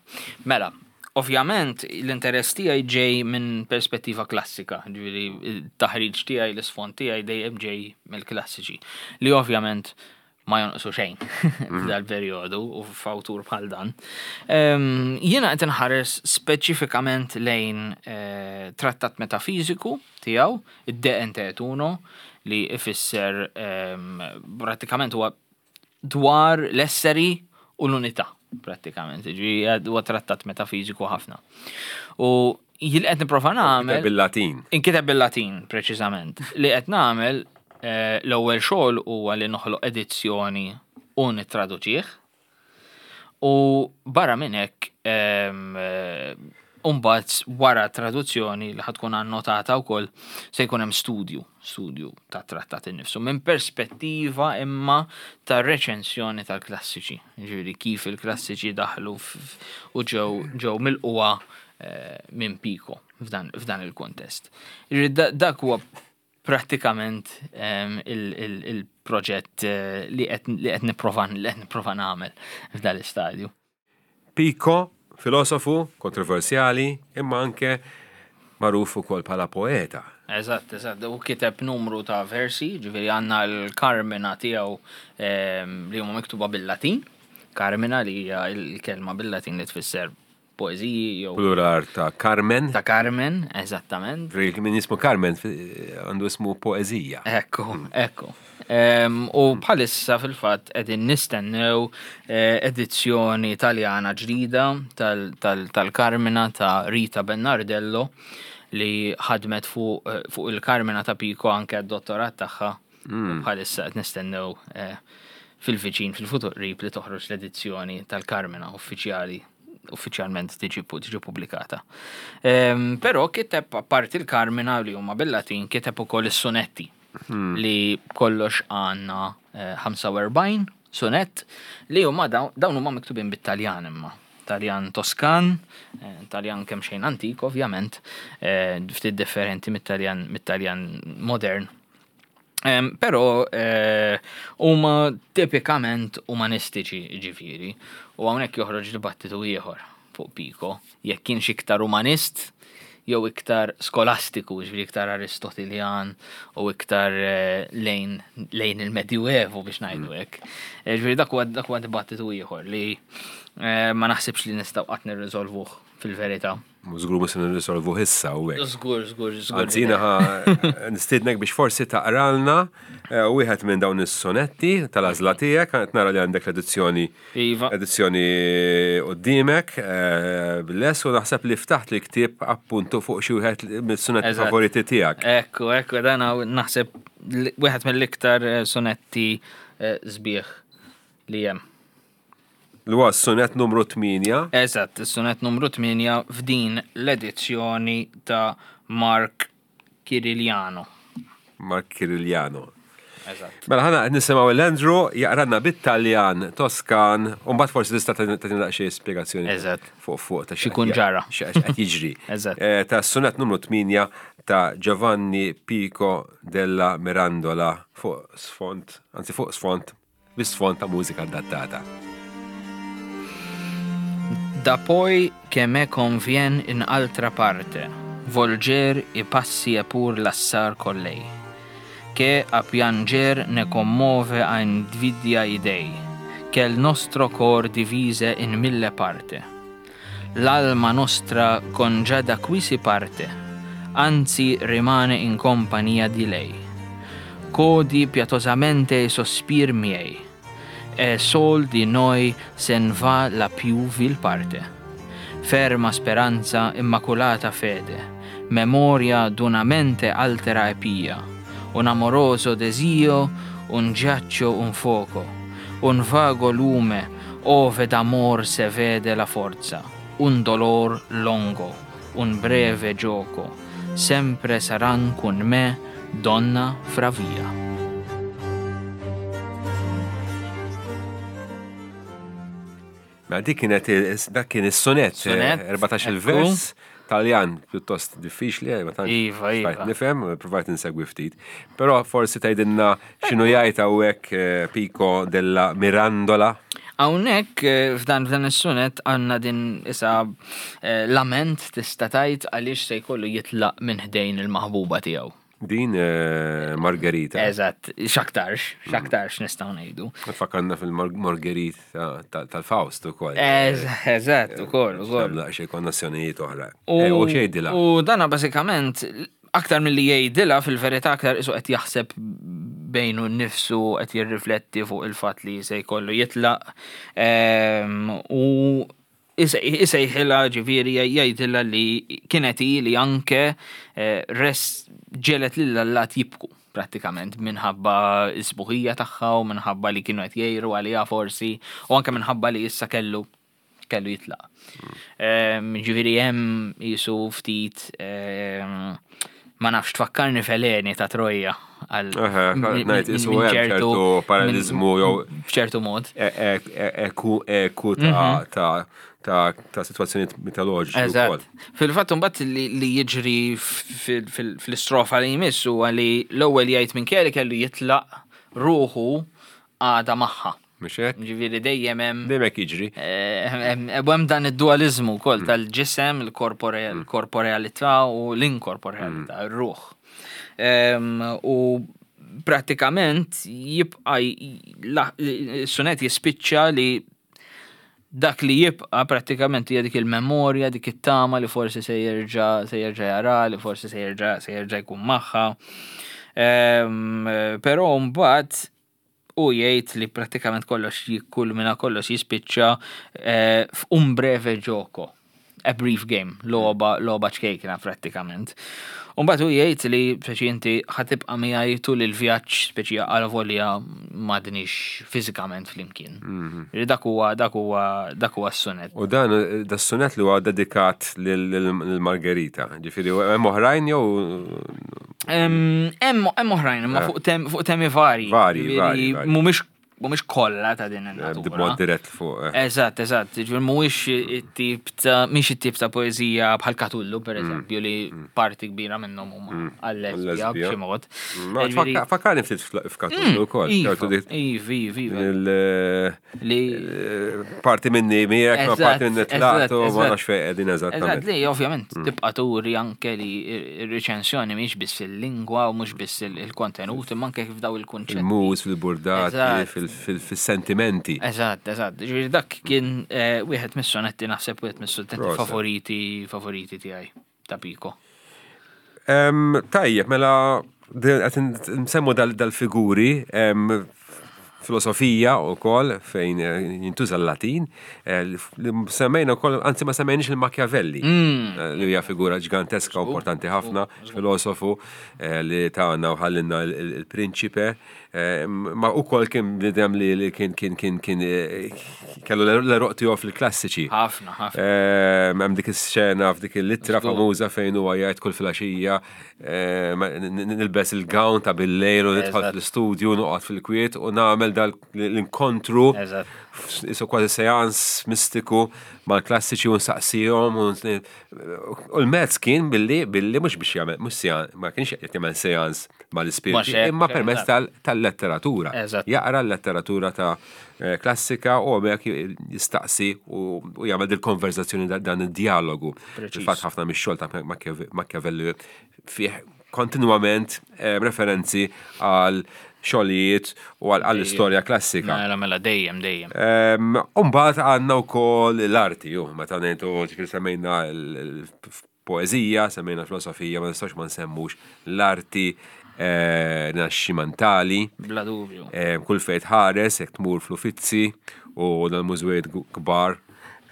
Mela, ovvjament l-interess tiegħi ġej minn perspettiva klassika, ġifieri taħriġ tiegħi l-isfond tiegħi dejjem ġej mill-klassiċi. Li ovvjament ma jonqsu xejn mhm. f'dal-perjodu u f'awtur bħal dan. Ehm, jiena qed inħares speċifikament lejn eh, trattat metafiżiku tiegħu, id-De Ente et Uno, li ifisser ehm, prattikament huwa dwar l-esseri u l-unità prattikament. Ġifieri huwa trattat metafiżiku ħafna. U jien qed nipprova nagħmel. Bil-Latin. Inkiteb bil-Latin, preċiżament. Li qed nagħmel eh, l-ewwel xogħol huwa li noħloq edizzjoni u nittraduċih. U barra minn hekk ehm, eh, Umbagħad wara traduzzjoni li ħa tkun annotata wkoll se jkun hemm studju, studju ta' trattat innifsu minn perspettiva imma ta' reċensjoni tal-klassiċi. Ġifieri kif il-klassiċi daħlu u ġew ġew milquha eh, minn Pico f'dan il-kontest. Dak huwa prattikament ehm, il-proġett eh, li qed nipprova li qed nipprova nagħmel f'dan l-istadju. Pico, filosofu, kontroversjali, imma anke magħruf ukoll bħala poeta. Eżatt, eżatt. U kiteb numru ta' versi, ġifieri għandna l-Karmina tiegħu ehm, li huma miktuba bil-Latin. Karmina li hija l-kelma bil-Latin li tfisser poeżiji jew. Plural ta' Carmen. Ta' Carmen, eżattament. Min jismu Carmen għandu ismu poeżija. Ekku, ekku. U bħalissa fil-fatt qegħdin nistennew eh, edizzjoni Taljana ġdida tal-Carmina ta' Rita Bernardello li ħadmet fuq eh, il-Carmina ta' Pico anke d-dottorat tagħha. Hmm. Bħalissa qed nistennew eh, fil-viċin fil-futur qrib li toħroġ l-edizzjoni tal-Carmina uffiċjali uffiċjalment tiġi tiġi pubblikata. Ehm, però kiteb apparti l-Karmina li huma bil-Latin kiteb ukoll is-sonetti hmm. li kollox għandna 45 eh, sonett li huma dawn huma miktubin bit-Taljan imma. Taljan Toskan, eh, Taljan kemm xejn antik ovvjament, eh, ftit differenti mit-Taljan mit-Taljan modern. Però eh, huma tipikament umanistiċi ġifieri u hawnhekk joħroġ dibattitu ieħor fuq Pico, jekk kienx iktar umanist jew iktar skolastiku, ġifieri iktar Aristotiljan u iktar eh, lejn, lejn il-Medjuevu biex ngħidu mm. hekk. Eh, ġifieri dak huwa dak huwa dibattitu ieħor li ma naħsibx li nistgħu qatt nirriżolvuh fil-verità. Żgur mhux se nirrisolvuh issa u hekk. Żgur, żgur, żgur. Anzi jiena nistiednek biex forsi taqralna eh, wieħed minn dawn is-sonetti tal-għażla tiegħek, qed nara li għandek l-edizzjoni iva. edizzjoni quddiemek eh, bil-les u naħseb li ftaħt li ktieb appuntu fuq xi wieħed mis-sonetti favoriti tiegħek. Ekku, ekku, dan naħseb wieħed mill-iktar eh, sonetti sbieħ li hemm. Li huwa s-sunett numru 8. Eżatt, is-sunett numru 8 f'din l-edizzjoni ta' Mark Kiriliano. Mark Kiriliano. Eżatt. Mela ħana qed nisimgħu l-Andrew jaqranna bit-Taljan Toskan u mbagħad forsi tista' tagħtina daqsxejn spjegazzjoni. Eżatt. Fuq fuq ta' x'ikun ġara. X'qed jiġri. Eżatt. Eh, ta' sunett numru 8 ta' Giovanni Pico della Mirandola fuq sfond, anzi fuq sfond bi sfond ta' mużika adattata. Da poi che me convien in altra parte volger i passi e pur lassar con lei, che a pianger ne commuove a invidia i dei, che il nostro cor divise in mille parte. L'alma nostra con già da qui si parte, anzi rimane in compagnia di lei. Codi pietosamente i sospir miei, e sol di noi sen va la più vil parte. Ferma speranza, immaculata fede, memoria d'una mente altera e pia, un amoroso desio, un giaccio, un fuoco, un vago lume, ove d'amor se vede la forza, un dolor longo, un breve gioco, sempre saran con me, donna fra via. Mela dik kienet dak kien is-sonett, 14 eh, il-vers, Taljan pjuttost diffiċli, eh, ma tantx iva, iva. nifhem, provajt insegwi ftit. Però forsi tgħidilna x'inhu jgħid hawnhekk eh, Pico della Mirandola. Hawnhekk f'dan f'dan is-sunet għandna din isa lament tista' tgħid għaliex se jkollu jitlaq minn ħdejn il-maħbuba tiegħu. Din eh, Margherita. Eżatt, xaktarx, xaktarx nistgħu ngħidu. Fakarna fil-Margherita tal-Faust ukoll. Eżatt, ukoll, ukoll. Xi konnessjonijiet oħra. Eh, u xejdilha. U dana bażikament aktar milli jgħidilha fil-verità aktar isu qed jaħseb bejnu nnifsu qed jirrifletti fuq il-fatt li se jkollu jitlaq. Ehm, u Isejħilha ġifieri jgħidilha li kienet hi li anke eh, res ġelet lil allat jibku prattikament minħabba s-sbuħija tagħha u minħabba li kienu qed jgħiru għaliha forsi u anke minħabba li issa kellu kellu jitlaq. Ġifieri hemm jisu ftit ma nafx tfakkarni f'Eleni ta' Troja għal ngħid isu hemm ċertu paralleliżmu jew f'ċertu mod. Eku eku ta' ta' ta' ta' sitwazzjonijiet mitoloġiċi wkoll. Fil-fatt imbagħad li jiġri fl-istrofa li jmiss huwa li l-ewwel jgħid minkejja li kellu jitlaq ruħu għadha magħha. Mhux hekk? Ġifieri dejjem hemm. Dejjem hekk jiġri. Hemm dan id-dualiżmu wkoll tal-ġisem, il-korporealità u l-inkorporealità, ir-ruħ. U prattikament jibqa' s-sunet jispiċċa li dak li jibqa' prattikament hija dik il-memorja, dik it-tama li forsi se jerġa' se jerġa' jara, li forsi se jerġa' se jerġa' jkun magħha. Però mbagħad u jgħid li prattikament kollox jikkulmina kollox jispiċċa eh, f'un breve gioco. A brief game, logħba, logħba ċkejkna prattikament. Umbagħad u jgħid li speċi inti ħa tibqa' miegħi tul il-vjaġġ speċi għal volja m'għadniex fiżikament flimkien. Li Dak huwa dak huwa dak huwa s-sunet. U dan da sunet li huwa dedikat lil Margherita. Ġifieri hemm oħrajn jew Hemm oħrajn, imma fuq tem, fuq temi vari. Vari, Ġifieri vari, vari. Mhumiex mhumiex kollha ta' din in-natura. b'mod dirett fuq. Eżatt, eżatt. Ġifieri mhuwiex it-tip ta' mhix it-tip ta' poeżija bħal Katullu, per eżempju, li parti kbira minnhom huma għal-lesbja Għal-lesbja. b'xi mod. Ma Ġifieri- Fakkarni ftit f'Katullu wkoll. Iva, ċertu dik- iva, iva, iva. il- Li Parti minni miegħek, ma Eżatt, parti minni eżatt, tlaqtu, ma eżatt. nafx fejn qegħdin Eżatt, eżattament. li ovvjament tibqa' turi anke li r-reċensjoni mhix biss il-lingwa u mhux biss il-kontenut, imma anke kif daw il-kunċetti. Fil-mus, fil-burdati, Eżatt. fil-sentimenti. Eżatt, eżatt. Ġifieri dak kien eh, wieħed mis-sonetti naħseb wieħed mis-sonetti Proset. favoriti favoriti tiegħi ta' Pico. Em, Tajjeb, mela qed nsemmu dal-figuri, filosofija u kol, fejn jintuża l-Latin, li semmejna wkoll, anzi ma semmejniex il-Machiavelli, li hija figura ġiganteska u importanti ħafna, filosofu eh, li tagħna u ħallinna il-prinċipe, ma ukoll kien bniedem li li kien kien kien kien eh, kellu l-eruq tiegħu fil-klassiċi. Ħafna, ħafna. Hemm dik is-xena f'dik il-littra Żgur. famuża fejn huwa jgħid kull filgħaxija eh, nilbes il-gown ta' bil-lejl u nidħol Eżatt. fl-istudju noqgħod fil-kwiet u nagħmel dal l-inkontru Eżatt. isu kważi seans mistiku mal-klassiċi u nsaqsihom u u l-mezz kien billi billi mhux biex jagħmel mhux seans ma kienx qed jagħmel seans mal-ispirti Mhux hekk, imma permezz eżatt. tal-letteratura. Eżatt. Jaqra l-letteratura ta' klassika u hemmhekk jistaqsi u u jagħmel dil-konverzazzjoni dan id-dialogu. Preċiż. Fil-fatt ħafna mix-xogħol ta' Machiavelli fih kontinwament referenzi għal xogħlijiet u għall-istorja klassika. Mela, mela, dejjem, dejjem. Umbagħad għandna wkoll l-arti, ju, meta ngħidu ġifieri semmejna l-poeżija, semmejna l-filosofija, ma nistax ma nsemmux l-arti rinaxximentali. Bla dubju. Kull fejn tħares, jekk tmur fl-Uffizi u dal-mużewijiet kbar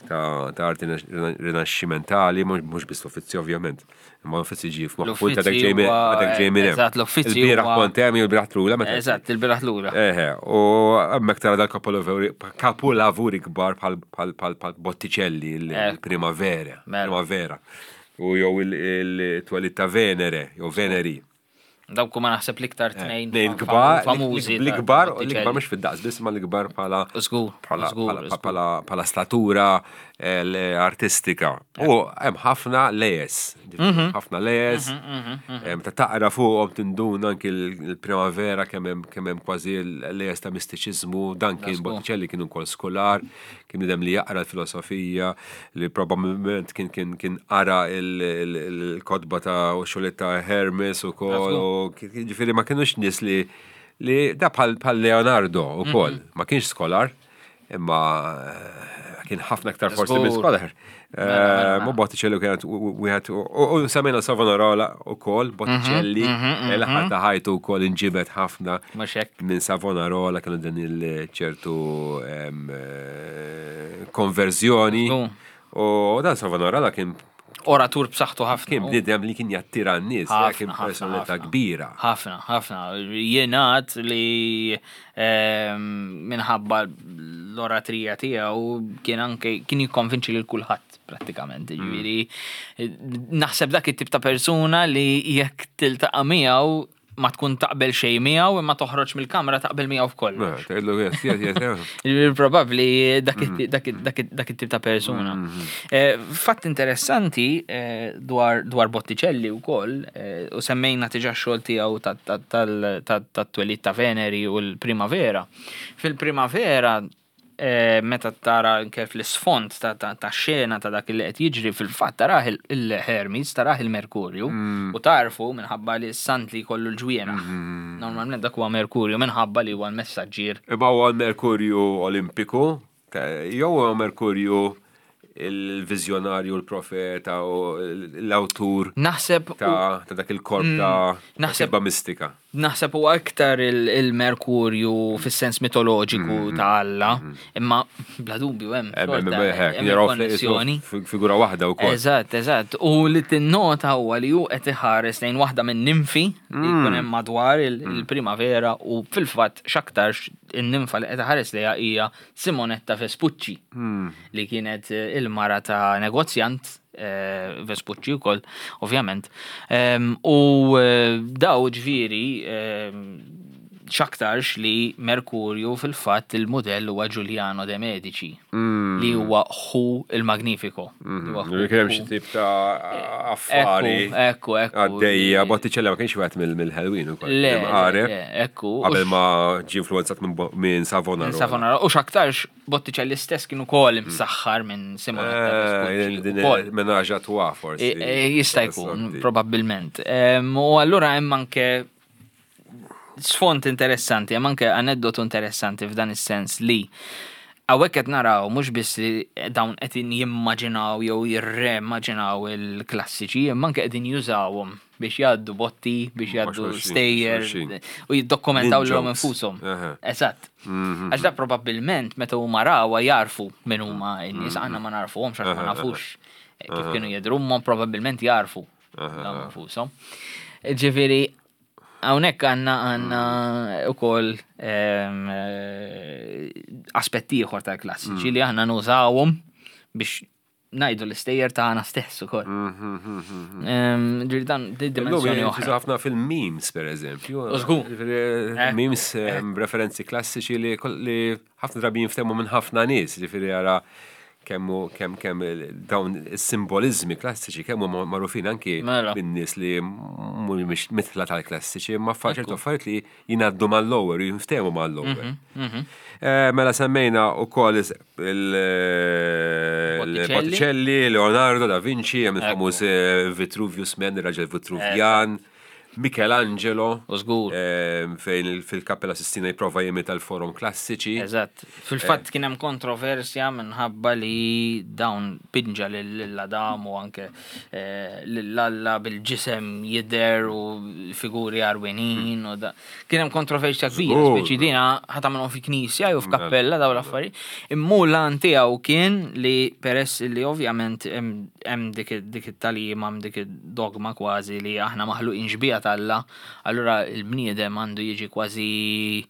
ta' arti rinaxximentali, mhux biss l-Uffizi ovvjament. Imma l-Uffizi ġie f'moħħu ta' dak L-Uffizi ġej minn huwa- dak ġej minn hemm. eżatt, l-Uffizi Il-bieraħ huwa- kont hemm jew il-bieraħ trula meta. Eżatt, il-bieraħ lura. Eħe, u hemmhekk tara dal-kapolavori kapolavori kbar bħal bħal bħal bħal Botticelli, il-Primavera, Mela. Primavera. U jew il-twelid ta' Venere, jew Veneri. Dawk huma naħseb l-iktar tnejn Tnejn fam- kbar, famużi. ta' l-ikbar, Botticelli. l-ikbar mhux fid-daqs biss, ma l-ikbar bħala Żgur, bħala żgur, bħala- żgur. bħala bħala statura artistika. U hemm ħafna lejes, Mhm. ħafna lejes, ta' taqra fuqhom tinduna anki l-primavera kemm hemm kemm hemm kważi l-lejes ta' mistiċiżmu, dan kien Żgur. Botticelli kien ukoll skolar, kien bniedem li jaqra l-filosofija, li probabbilment kien kien kien qara il-kotba ta' u xogħlijiet ta' Hermes ukoll, u ġifieri ma kienux nies li li da bħal bħal Leonardo ukoll, ma kienx skolar, imma kien ħafna aktar forsi minn Żgur. skolar. Mela, mela. Ma Botticelli kienet wieħed u semmejna Savonarola ukoll, Botticelli, l-aħħar ta' ħajtu wkoll inġibet ħafna Mhux hekk. minn Savonarola kienu din il-ċertu konverżjoni. Żgur. U dan Savonarola kien Oratur b'saħħtu ħafna. kien bniedem li kien jattira n-nies, Ħafna, kien ħafna, personalità ħafna. kbira. Ħafna, ħafna. Jingħad li minħabba l-oratrija tiegħu kien anke kien jikkonvinċi lil kulħadd prattikament. Ġifieri naħseb dak it-tip ta' persuna li jekk tiltaqa' miegħu ma tkun taqbel xejn miegħu imma toħroġ mill-kamra taqbel miegħu f'kollox. Tgħidlu yes, yes, yes, yes. Ġifieri Probabbli dak it- dak it- dak it- dak it-tip ta' persuna. Fatt interessanti dwar dwar Botticelli wkoll u semmejna diġà x-xogħol tiegħu tat-twelid ta' Veneri u l-Primavera. Fil-Primavera meta tara anke fl-isfond ta' xena ta' dak li qed jiġri fil-fatt tarah il-Hermes, tarah il-Merkurju u tarfu minħabba li s-sant li jkollu l-ġwienaħ. Normalment dak huwa Merkurju minħabba li huwa l-messaġġier. Imma huwa l-Merkurju Olimpiku, jew huwa Merkurju il-viżjonarju, l-profeta u l-awtur Naħseb ta' dak il-korp ta' Naħseb- kitba mistika. Naħseb huwa iktar il-Merkurju fis-sens mitoloġiku ta' Alla, imma bla dubju hemm xorta, hemm il-konnessjoni. Figura waħda wkoll. Eżatt, eżatt. U li tinnota huwa li hu qed iħares lejn waħda minn ninfi li jkun hemm madwar il-primavera u fil-fatt x'aktarx in-ninfa li qed iħares lejha hija Simonetta Vespucci li kienet il-mara ta' negozjant Vespucci wkoll, ovvjament. U daw ġifieri x'aktarx li Merkurju fil-fatt il-mudell huwa Giuliano de Medici li huwa ħu il-Magnifico. Kien hemm xi tip ta' affari. Ekku, ekku. Għaddejja, Botticelli ma kienx wieħed mill-ħelwin ukoll. Le, Imqareb. le, ekku. Qabel ma ġie influenzat minn Savonaroli. Minn Savonaroli. U x'aktarx Botticelli stess kien ukoll imsaħħar minn Simonetta Vespucci. Din menage à trois forsi. Jista' jkun, probabbilment. U allura hemm anke sfond interessanti, hemm anke aneddotu interessanti f'dan is-sens li hawnhekk qed naraw mhux biss li dawn qed jimmaġinaw jew jirremmaġinaw il-klassiċi, imma anke qegħdin jużawhom biex jgħaddu botti, biex jgħaddu stejjer u jiddokumentaw lilhom infushom. Eżatt. Għax da probabbilment meta huma rawha jarfu min huma n-nies, aħna ma narfuhomx għax ma nafux kif kienu jidhru, huma probabbilment jarfu lilhom infushom. Ġifieri hawnhekk għandna għandna ukoll aspett ieħor tal-klassiċi li aħna nużawhom biex ngħidu l-istejjer tagħna stess ukoll. Ġifieri dan di dimensjoni oħra. Ħafna fil-memes pereżempju. Żgur. Memes referenzi klassiċi li ħafna drabi jinftehmu minn ħafna nies, ġifieri ara kemm kemm kemm dawn is-simbolizmi klassiċi kemm huma magħrufin anki Mela. minn nies li mhumiex mitla tal-klassiċi, imma ċertu affarijiet li jingħaddu mal-lower, jinftehmu mal-lower. Mela semmejna wkoll il-Botticelli, Leonardo da Vinci, hemm il-famuż Vitruvius Man, ir-raġel Vitruvjan, Michelangelo, U żgur. fejn fil-Kappella Sistina jipprova jimita l-forum klassiċi. Eżatt. Fil-fatt kien hemm kontroversja minħabba li dawn pinġa lil Adam u anke lil Alla bil-ġisem jidher u figuri għarwenin u da. Kien hemm kontroversja kbira, speċi dina ħa tagħmilhom fi knisja jew f'kappella dawn l-affarijiet. Imma l-għan tiegħu kien li peress li ovvjament hemm dik it-tagħlima, hemm dik id-dogma kważi li aħna maħluqin xbieha t'Alla, allura l-bniedem għandu jiġi kważi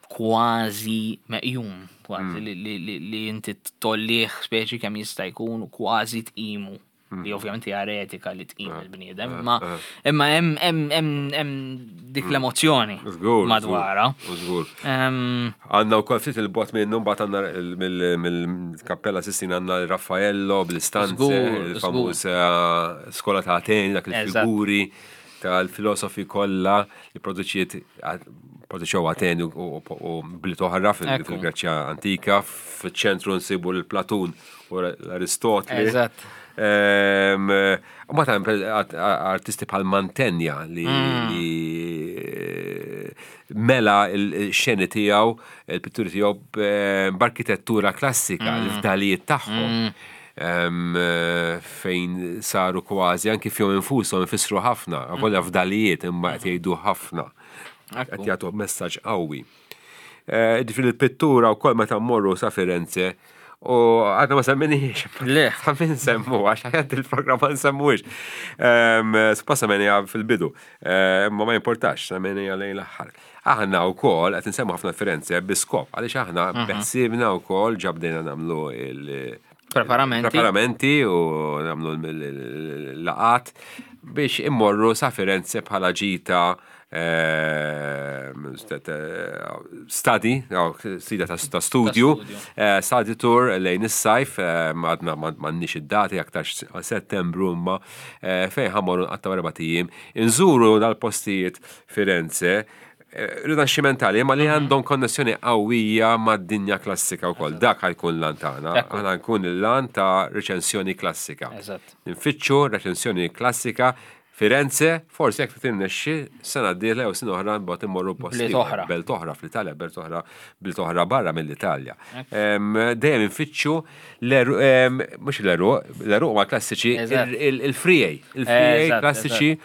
kważi meqjum, kważi li inti tollih speċi kemm jista' jkun u kważi tqimu. Li ovvjament hija eretika li tqim il-bniedem, imma imma hemm hemm hemm hemm dik l-emozzjoni madwarha. Żgur. Għandna wkoll ftit il-bot minnu mbagħad għandna mill-Kappella Sistina għandna Raffaello bl-istanze, il-famuż skola ta' Ateni, dak il-figuri tal-filosofi kollha li produċiet produċew Ateni u bliet oħra fil-Greċja antika, fiċ-ċentru nsibu l-Platun u l-Aristotli. Eżatt. Ma ta' artisti bħal Mantegna li mela l-xeni tiegħu, il-pitturi tiegħu b'arkitettura klassika, l-fdalijiet tagħhom. Fejn saru kważi anki fihom infushom ifissru ħafna, avolja fdalijiet imma qed jgħidu ħafna. Qed jagħtu messaġġ qawwi. Ġifieri l-pittura wkoll meta mmorru sa Firenze. U għadna ma semminix. Le. Ta' min semmu, għax għad il-programm ma nsemmuix. Suppost semminija fil-bidu, imma ma jimportax, semminija lejn l-aħħar. Aħna u kol, għed nsemmu ħafna Firenze biskop, għalix aħna mhm. beħsibna u kol ġabdejna namlu il- Preparamenti. Preparamenti u namlu l-laqat biex immorru sa Firenze bħala ġita Ehm, study, sida ta' studju, eh, study tour lejn is-sajf, ehm, għadna m'għandniex id-dati aktar settembru imma eh, fejn ħammorru nqattaw erba' ijiem, inżuru dal-postijiet Firenze, eh, rinaxximentali, ma li mhm. għandhom konnessjoni qawwija mad-dinja klassika wkoll. Dak ħajkun l-lan tagħna. Aħna nkun il-lan ta' reċensjoni klassika. Nfittxu reċensjoni klassika Firenze, forsi jekk tirnexxi sena d-dieħla jew sena oħra mbagħad immorru post Bliet oħra. Belt oħra fl-Italja, belt oħra, bliet oħra barra mill-Italja. Dejjem infittxu mhux l-eruq, l-eruq ma klassiċi, il-frijej, il-frijej klassiċi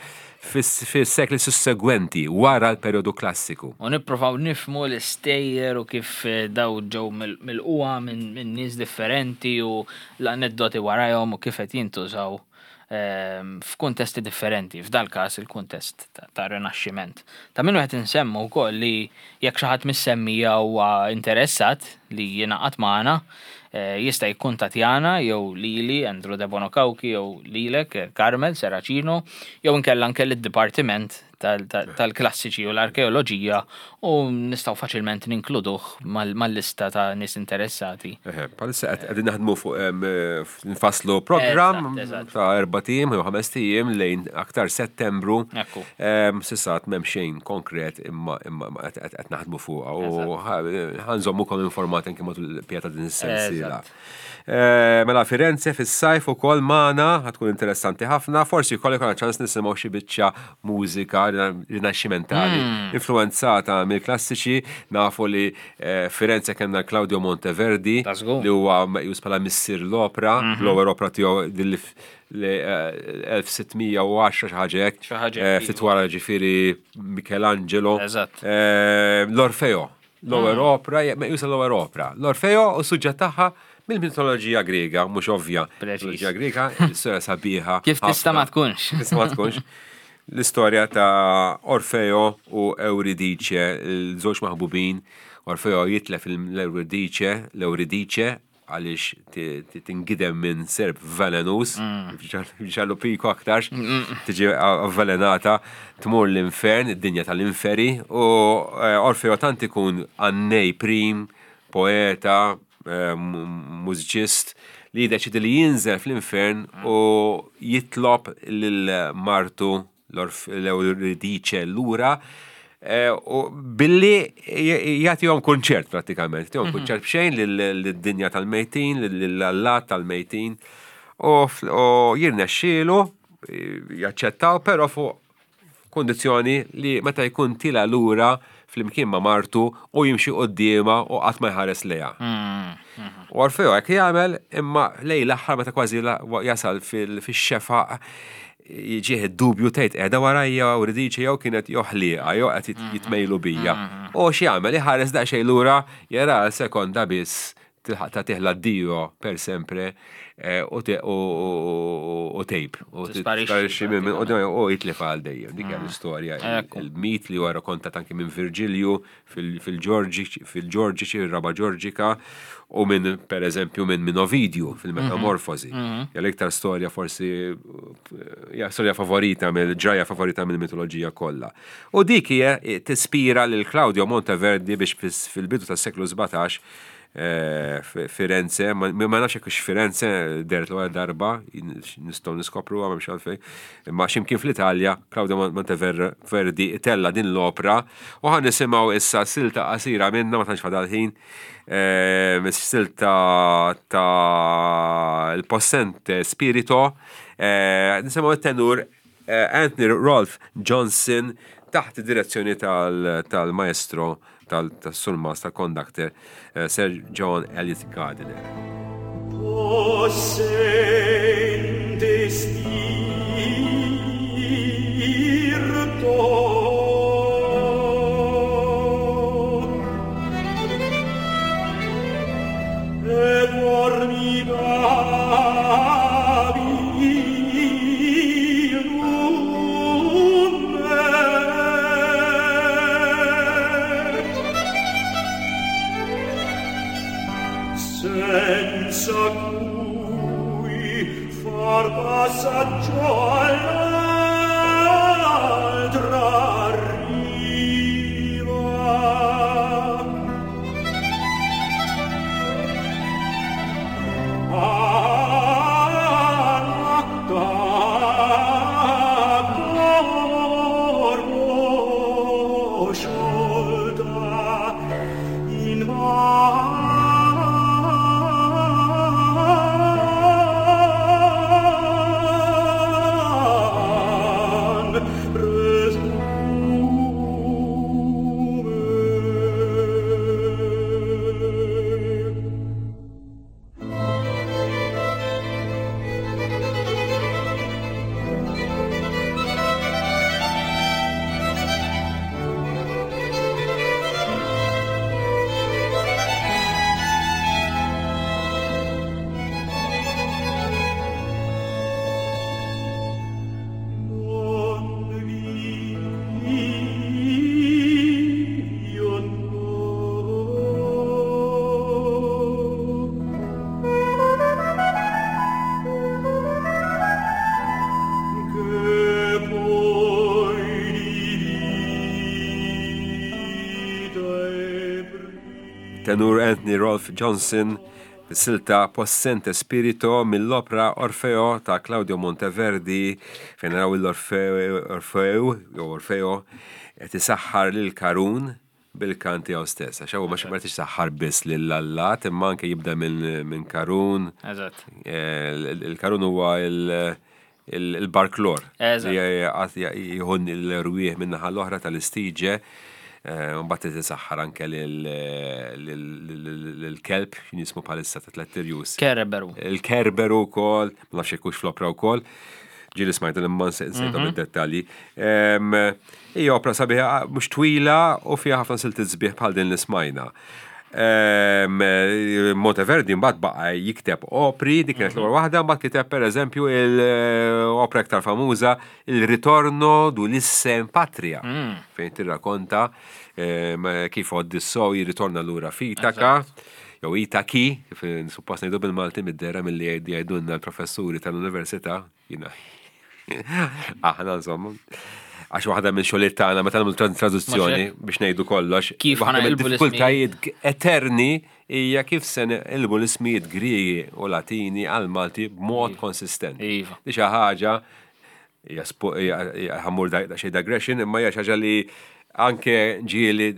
fis-sekli sussegwenti wara l-perjodu klassiku. U nippruvaw nifhmu l-istejjer u kif eh, daw ġew mill-qwa minn nies differenti u l-aneddoti warajhom u kif qed jintużaw f'kuntesti differenti, f'dal-każ il-kuntest ta' Rinaxximent. Ta' min wieħed insemmu wkoll li jekk xi ħadd mis-semmija huwa interessat li jingħaqad magħna, eh, jista' jikkuntattjana jew lili Andrew Debono Cauchi jew lilek Carmel Serracino jew inkella anke lid-dipartiment tal-klassiċi u l-arkeoloġija u nistgħu faċilment ninkluduh mal-lista ta' nies interessati. Bħalissa qegħdin naħdmu fuq nfasslu programm ta' erbat ijiem jew ħamest ijiem lejn aktar Settembru. S'issa għad m'hemm xejn konkret imma qed naħdmu fuqha u ħanżommukom informati anke matul il-pjata din is-sensiela. Eh, mela Firenze fis-sajf ukoll magħna tkun interessanti ħafna, forsi jkoll ikollna ċans nisimgħu xi biċċa mużika rinaxximentali hmm. influenzata mill-klassiċi, nafu li eh, Firenze kellna Claudio Monteverdi li huwa meqjus bħala missier l-opra, mhm. l-ewwel opra tiegħu li 1610 xi ħaġa hekk. Ftit wara ġifieri Michelangelo. L-Orfeo L-ewwel mm. opra, meqjusa l-ewwel opra. L-Orfeo u suġġett tagħha mill-mitoloġija Griega, mhux ovvja. Mitoloġija Griega, l-istorja sabiħa. Kif tista' ma tkunx. Tista' ma tkunx. L-istorja ta' Orfeo u Euridice, l-żewġ maħbubin. Orfeo jitlef l-Euridice, l-Euridice għaliex tingidem minn serp velenus, mm. ġallu piko aktarx, mm. tiġi avvelenata, tmur l-infern, id-dinja tal-inferi, u eh, Orfeo tant ikun għannej prim, poeta, eh, mużiċist, li jiddeċidi li jinżel fl-infern mm. u jitlob lil martu l-Euridice lura eh, u billi jagħtihom kunċert prattikament, jagħtihom mhm. kunċert b'xejn lid-dinja tal-mejtin, lill-allat tal-mejtin u jirnexxielu eh, jaċċettaw però fuq kondizzjoni li meta jkun tila lura flimkien ma' martu u jimxi quddiemha u qatt ma jħares lejha. Mm, mm. U Orfeo hekk jagħmel imma lej l-aħħar meta kważi jasal fix-xefaq jiġih id-dubju tgħid qiegħda warajja u ridiċi jew kienet jew ħlieqa jew qed mm-hmm. jitmejlu bija. Mm-hmm. U x'jagħmel iħares daqsxejn lura jara għal sekonda biss tilħaq ta' tiħla dio per sempre eh, u tejb. U tisparixxi minn u jitlef għal dejjem. Dik hija mm. l-istorja, il-mit li huwa rakkontat anki minn Virgilju fil-Ġorġiċi, il-Raba Ġorġika, u minn, per eżempju, minn minn Ovidju fil-Metamorfosi. Mhm. Mhm. Ja l-iktar storja forsi, ja storja favorita, mill-ġraja favorita mill-mitoloġija kollha. U dik hija tispira lil Claudio Monteverdi biex fil-bidu tas-seklu 17 Eh, Firenze, ma nafx jekk Firenze deret l-ewwel darba, nistgħu niskopru m'hemmx għalfejn, imma x'imkien fl-Italja, Claudio Monteverdi tella din l-opra u ħan nisimgħu issa silta qasira minna ma tantx fadal ħin, eh, silta ta' il-Possente Spirito, eh, nisimgħu it-tenur Anthony Rolfe Johnson taħt id-direzzjoni tal-maestro tas-surmast tal-conductor eh, Sir John Elliot Gardiner. Possente spirito E Senza cui far passaggio all'altra riva. Da corpo sciolta in van presume. Non vi io no. Che poi di vita e Tenur Anthony Rolfe Johnson silta Possente Spirito mill-opra Orfeo ta' Claudio Monteverdi fejn naraw l-Orfeo jew Orfeo qed isaħħar lil Karun bil-kant tiegħu stess. Għax huwa ma xi saħħar biss lill-allat imma anke jibda minn Karun. Eżatt. Il-Karun huwa il-barklor Eżatt. li jieħu l-erwieħ min-naħa l-oħra tal-istiġe. Mbagħad tisaħħar anke lil-kelb x'in jismu bħalissa ta' tlett irjus. Kerberu. Il-Kerberu wkoll, ma nafx jekk hux fl-opra wkoll. Ġieli smajt imma nsejthom id-dettalji. Hija opra sabiħa mhux twila u fiha ħafna siltiet sbieħ bħal din li smajna. Monteverdi mbagħad baqa' jikteb opri, dik kienet l-ewwel waħda, mbagħad kiteb pereżempju l-opra iktar famuża Il Ritorno d'Ulisse in Patria, fejn tirrakonta kif Odissew jirritorna lura f'Itaka, jew Itaki, kif suppost ngħidu bil-Malti mid-dera milli jgħidulna l-professuri tal-università, jiena aħna insomma. Għax waħda minn xogħliet tagħna meta nagħmlu traduzzjoni biex ngħidu kollox, Kif waħda ħa naqilbu mid-diffikultajiet eterni hija kif se neqilbu l-ismijiet Griegi u Latini għal Malti b'mod konsistenti. Iva. Di xi ħaġa hija ħa mmur xi digression, imma hija xi ħaġa li anke ġieli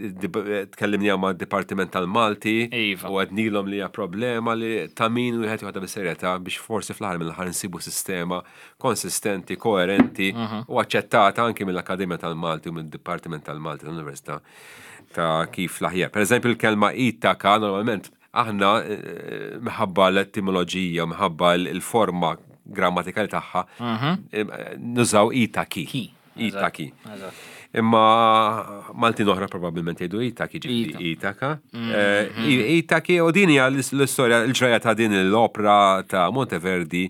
tkellimni ma' Dipartiment tal-Malti u għednilhom li hija problema li ta' min wieħed joħodha bis-serjetà biex forsi fl-aħħar mill-aħħar nsibu sistema konsistenti, koerenti u aċċettata anke mill-Akkademja tal-Malti u mid-Dipartiment tal-Malti tal-Università ta' kif l-aħjar. Per eżempju, il-kelma Itaka normalment aħna minħabba l-etimoloġija, minħabba l-forma grammatikali tagħha, nużaw Itaki. Ki. Itaki. Eżatt. Imma Maltin oħra probabbilment jgħidu Itaki ġifieri Ita. Itaka. Itaki u din hija l-istorja l-ġraja ta' din l-opra ta' Monteverdi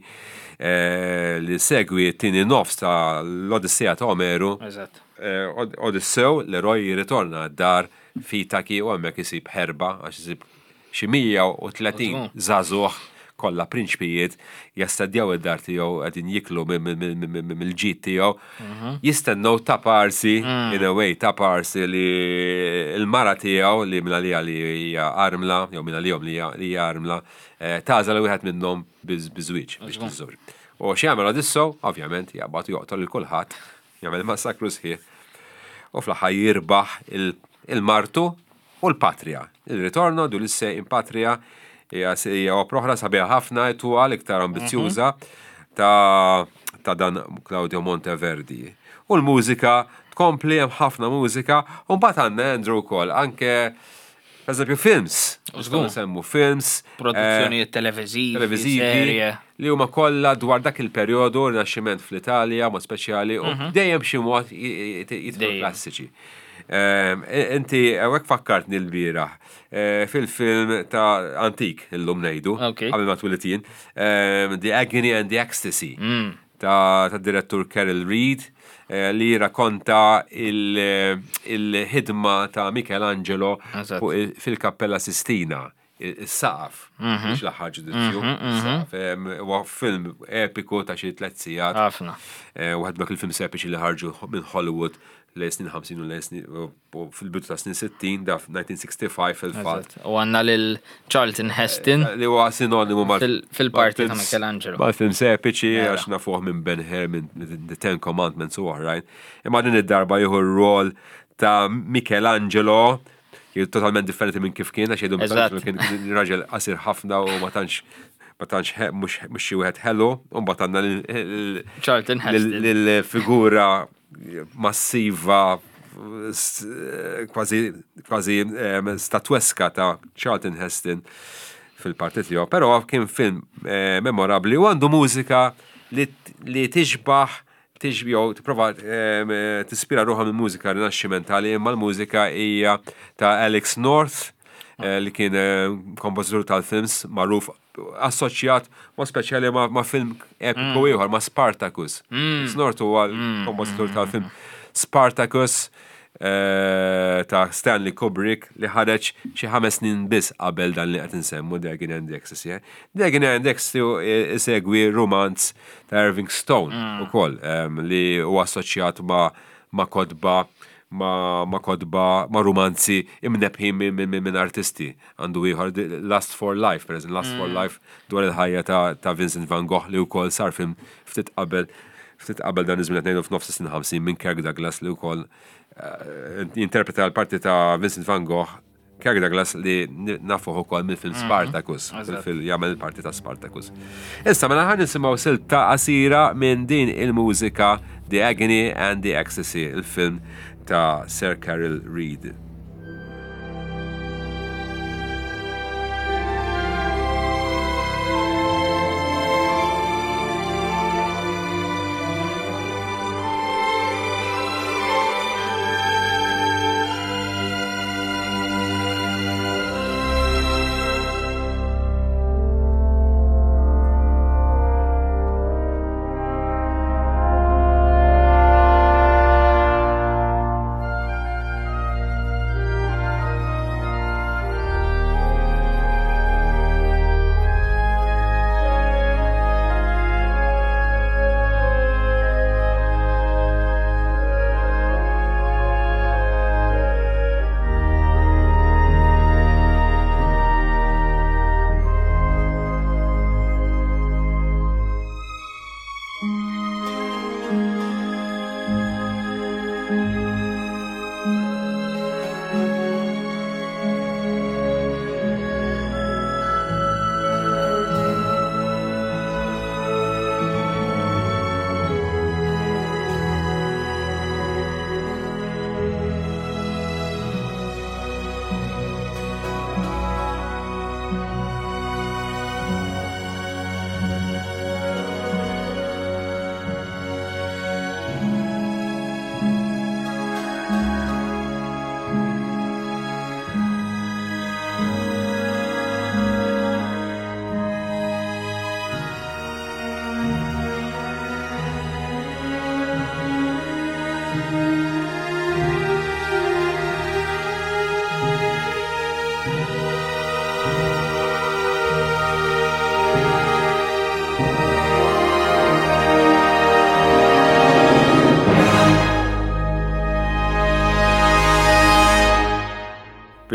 li segwi t-tieni nofs ta' l-Odissea ta' Omeru. Eżatt. Odissew, l-eroj jirritorna d-dar f'Itaki u hemmhekk isib ħerba għax isib xi 130 żagħżugħ kollha prinċpijiet jastadjaw id-dar tiegħu qegħdin jiklu mill-ġid tiegħu. Jistennew ta' parsi, in a way, ta' parsi li l-mara tiegħu li minn għalija li hija armla, jew minn għalihom li hija armla, tagħżel wieħed minnhom biżwieġ biex tiżżewġ. U x'jagħmel Odissew, ovvjament, jaqbad u joqtol lil kulħadd, jagħmel massakru sħiħ. U fl-aħħar jirbaħ il-martu u l-patria. Il Ritorno d'Ulisse in Patria hija opra oħra sabiħa ħafna twal iktar ambizzjuża ta' dan Claudio Monteverdi. U l-mużika tkompli hemm ħafna mużika u mbagħad għandna Andrew wkoll anke per eżempju films. Żgur. Nsemmu films, Produzzjonijiet televiżivi, televiżivi serje. li huma kollha dwar dak il-perjodu Rinaxximent fl-Italja, mod speċjali, u dejjem b'xi mod jidħlu klassiċi. Inti hawnhekk fakkartni l-bieraħ fil-film ta' antik illum ngħidu, qabel ma twilidt jien, The Agony and the Ecstasy ta' direttur Carol Reed li racconta il-ħidma ta' Michelangelo fil-Kappella Sistina. Is-saqaf, mhux l-aħħar ġudizzju, is-saqaf. Huwa film epiku ta' xi tliet sigħat. Ħafna. Waħed dak il-films epiċi li ħarġu minn Hollywood lejn snin 50 u lejn snin u fil-bidu ta' snin 60, da 1965 fil-fatt. U għandna lil Charlton Heston. Li huwa sinonimu mal Fil-parti ta' Michelangelo. Mal-films epiċi għax nafuh minn Ben Hur, minn The Ten Commandments u oħrajn. Imma din id-darba jieħu r-rol ta' Michelangelo, totalment differenti minn kif kien, għax jgħidu Michelangelo kien raġel qasir ħafna u ma tantx ma tantx mhux xi wieħed ħelu, u mbagħad għandna Charlton Heston lill-figura massiva kważi kważi statweska ta' Charlton Heston fil-parti tiegħu, però kien film eh, memorabbli u għandu mużika li tixbaħ jew tipprova tispira ruħha minn mużika rinaxximentali imma l-mużika hija ta' Alex North eh, li kien eh, kompożitur tal-films magħruf assoċjat ma' speċjali ma' film epiku mm. ieħor ma' Spartacus. Mm. Snort huwa l-kompożitur mm. tal-film Spartacus eh, ta' Stanley Kubrick li ħareġ xi ħames snin biss qabel dan li qed insemmu The Agony and the Ecstasy. Eh. The Agony and the Ecstasy isegwi romanz ta' Irving Stone ukoll li huwa assoċjat ma' ma' kotba ma', ma kotba, ma' rumanzi imnebbħin minn artisti. Għandu ieħor Lust for Life, per eżempju, Lust for mm. Life dwar il-ħajja ta', ta Vincent van Gogh li wkoll sar film ftit qabel ftit qabel dan iż-żmien qed ngħidu f'nofs is-snin 50 minn Kirk Douglas li wkoll eh, jinterpreta l-parti ta' Vincent van Gogh Kirk Douglas li nafuh ukoll mill-film mhm. Spartacus, fil jagħmel il-parti ta' Spartacus. Issa mela ħan nisimgħu silta qasira minn din il-mużika The Agony and the Ecstasy, il-film ta' Sir Carol Reed.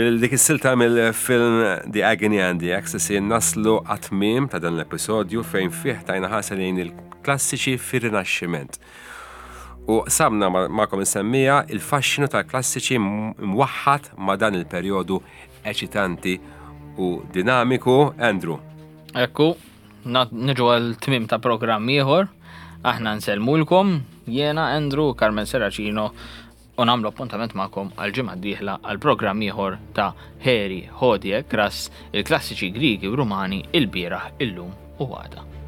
Bil-dik is-silta mill-film The Agony and the Ecstasy naslu għat-tmiem ta' dan l-episodju fejn fih tajna ħarsa lejn il-klassiċi fir-Rinaxximent. U qsamna magħkom insemmija il-faxxinu tal-klassiċi mwaħħad ma' dan il-perjodu eċitanti u dinamiku. Andrew. Ekku, niġu għal tmiem ta' programm ieħor. Aħna nsellmulkom, jiena Andrew, Carmen Serracino, u nagħmlu appuntament magħkom għal ġimgħa d-dieħla għal programm ieħor ta' Heri, Hodie, Kras, il-klassiċi Grigi u Rumani il-bieraħ, illum u għada.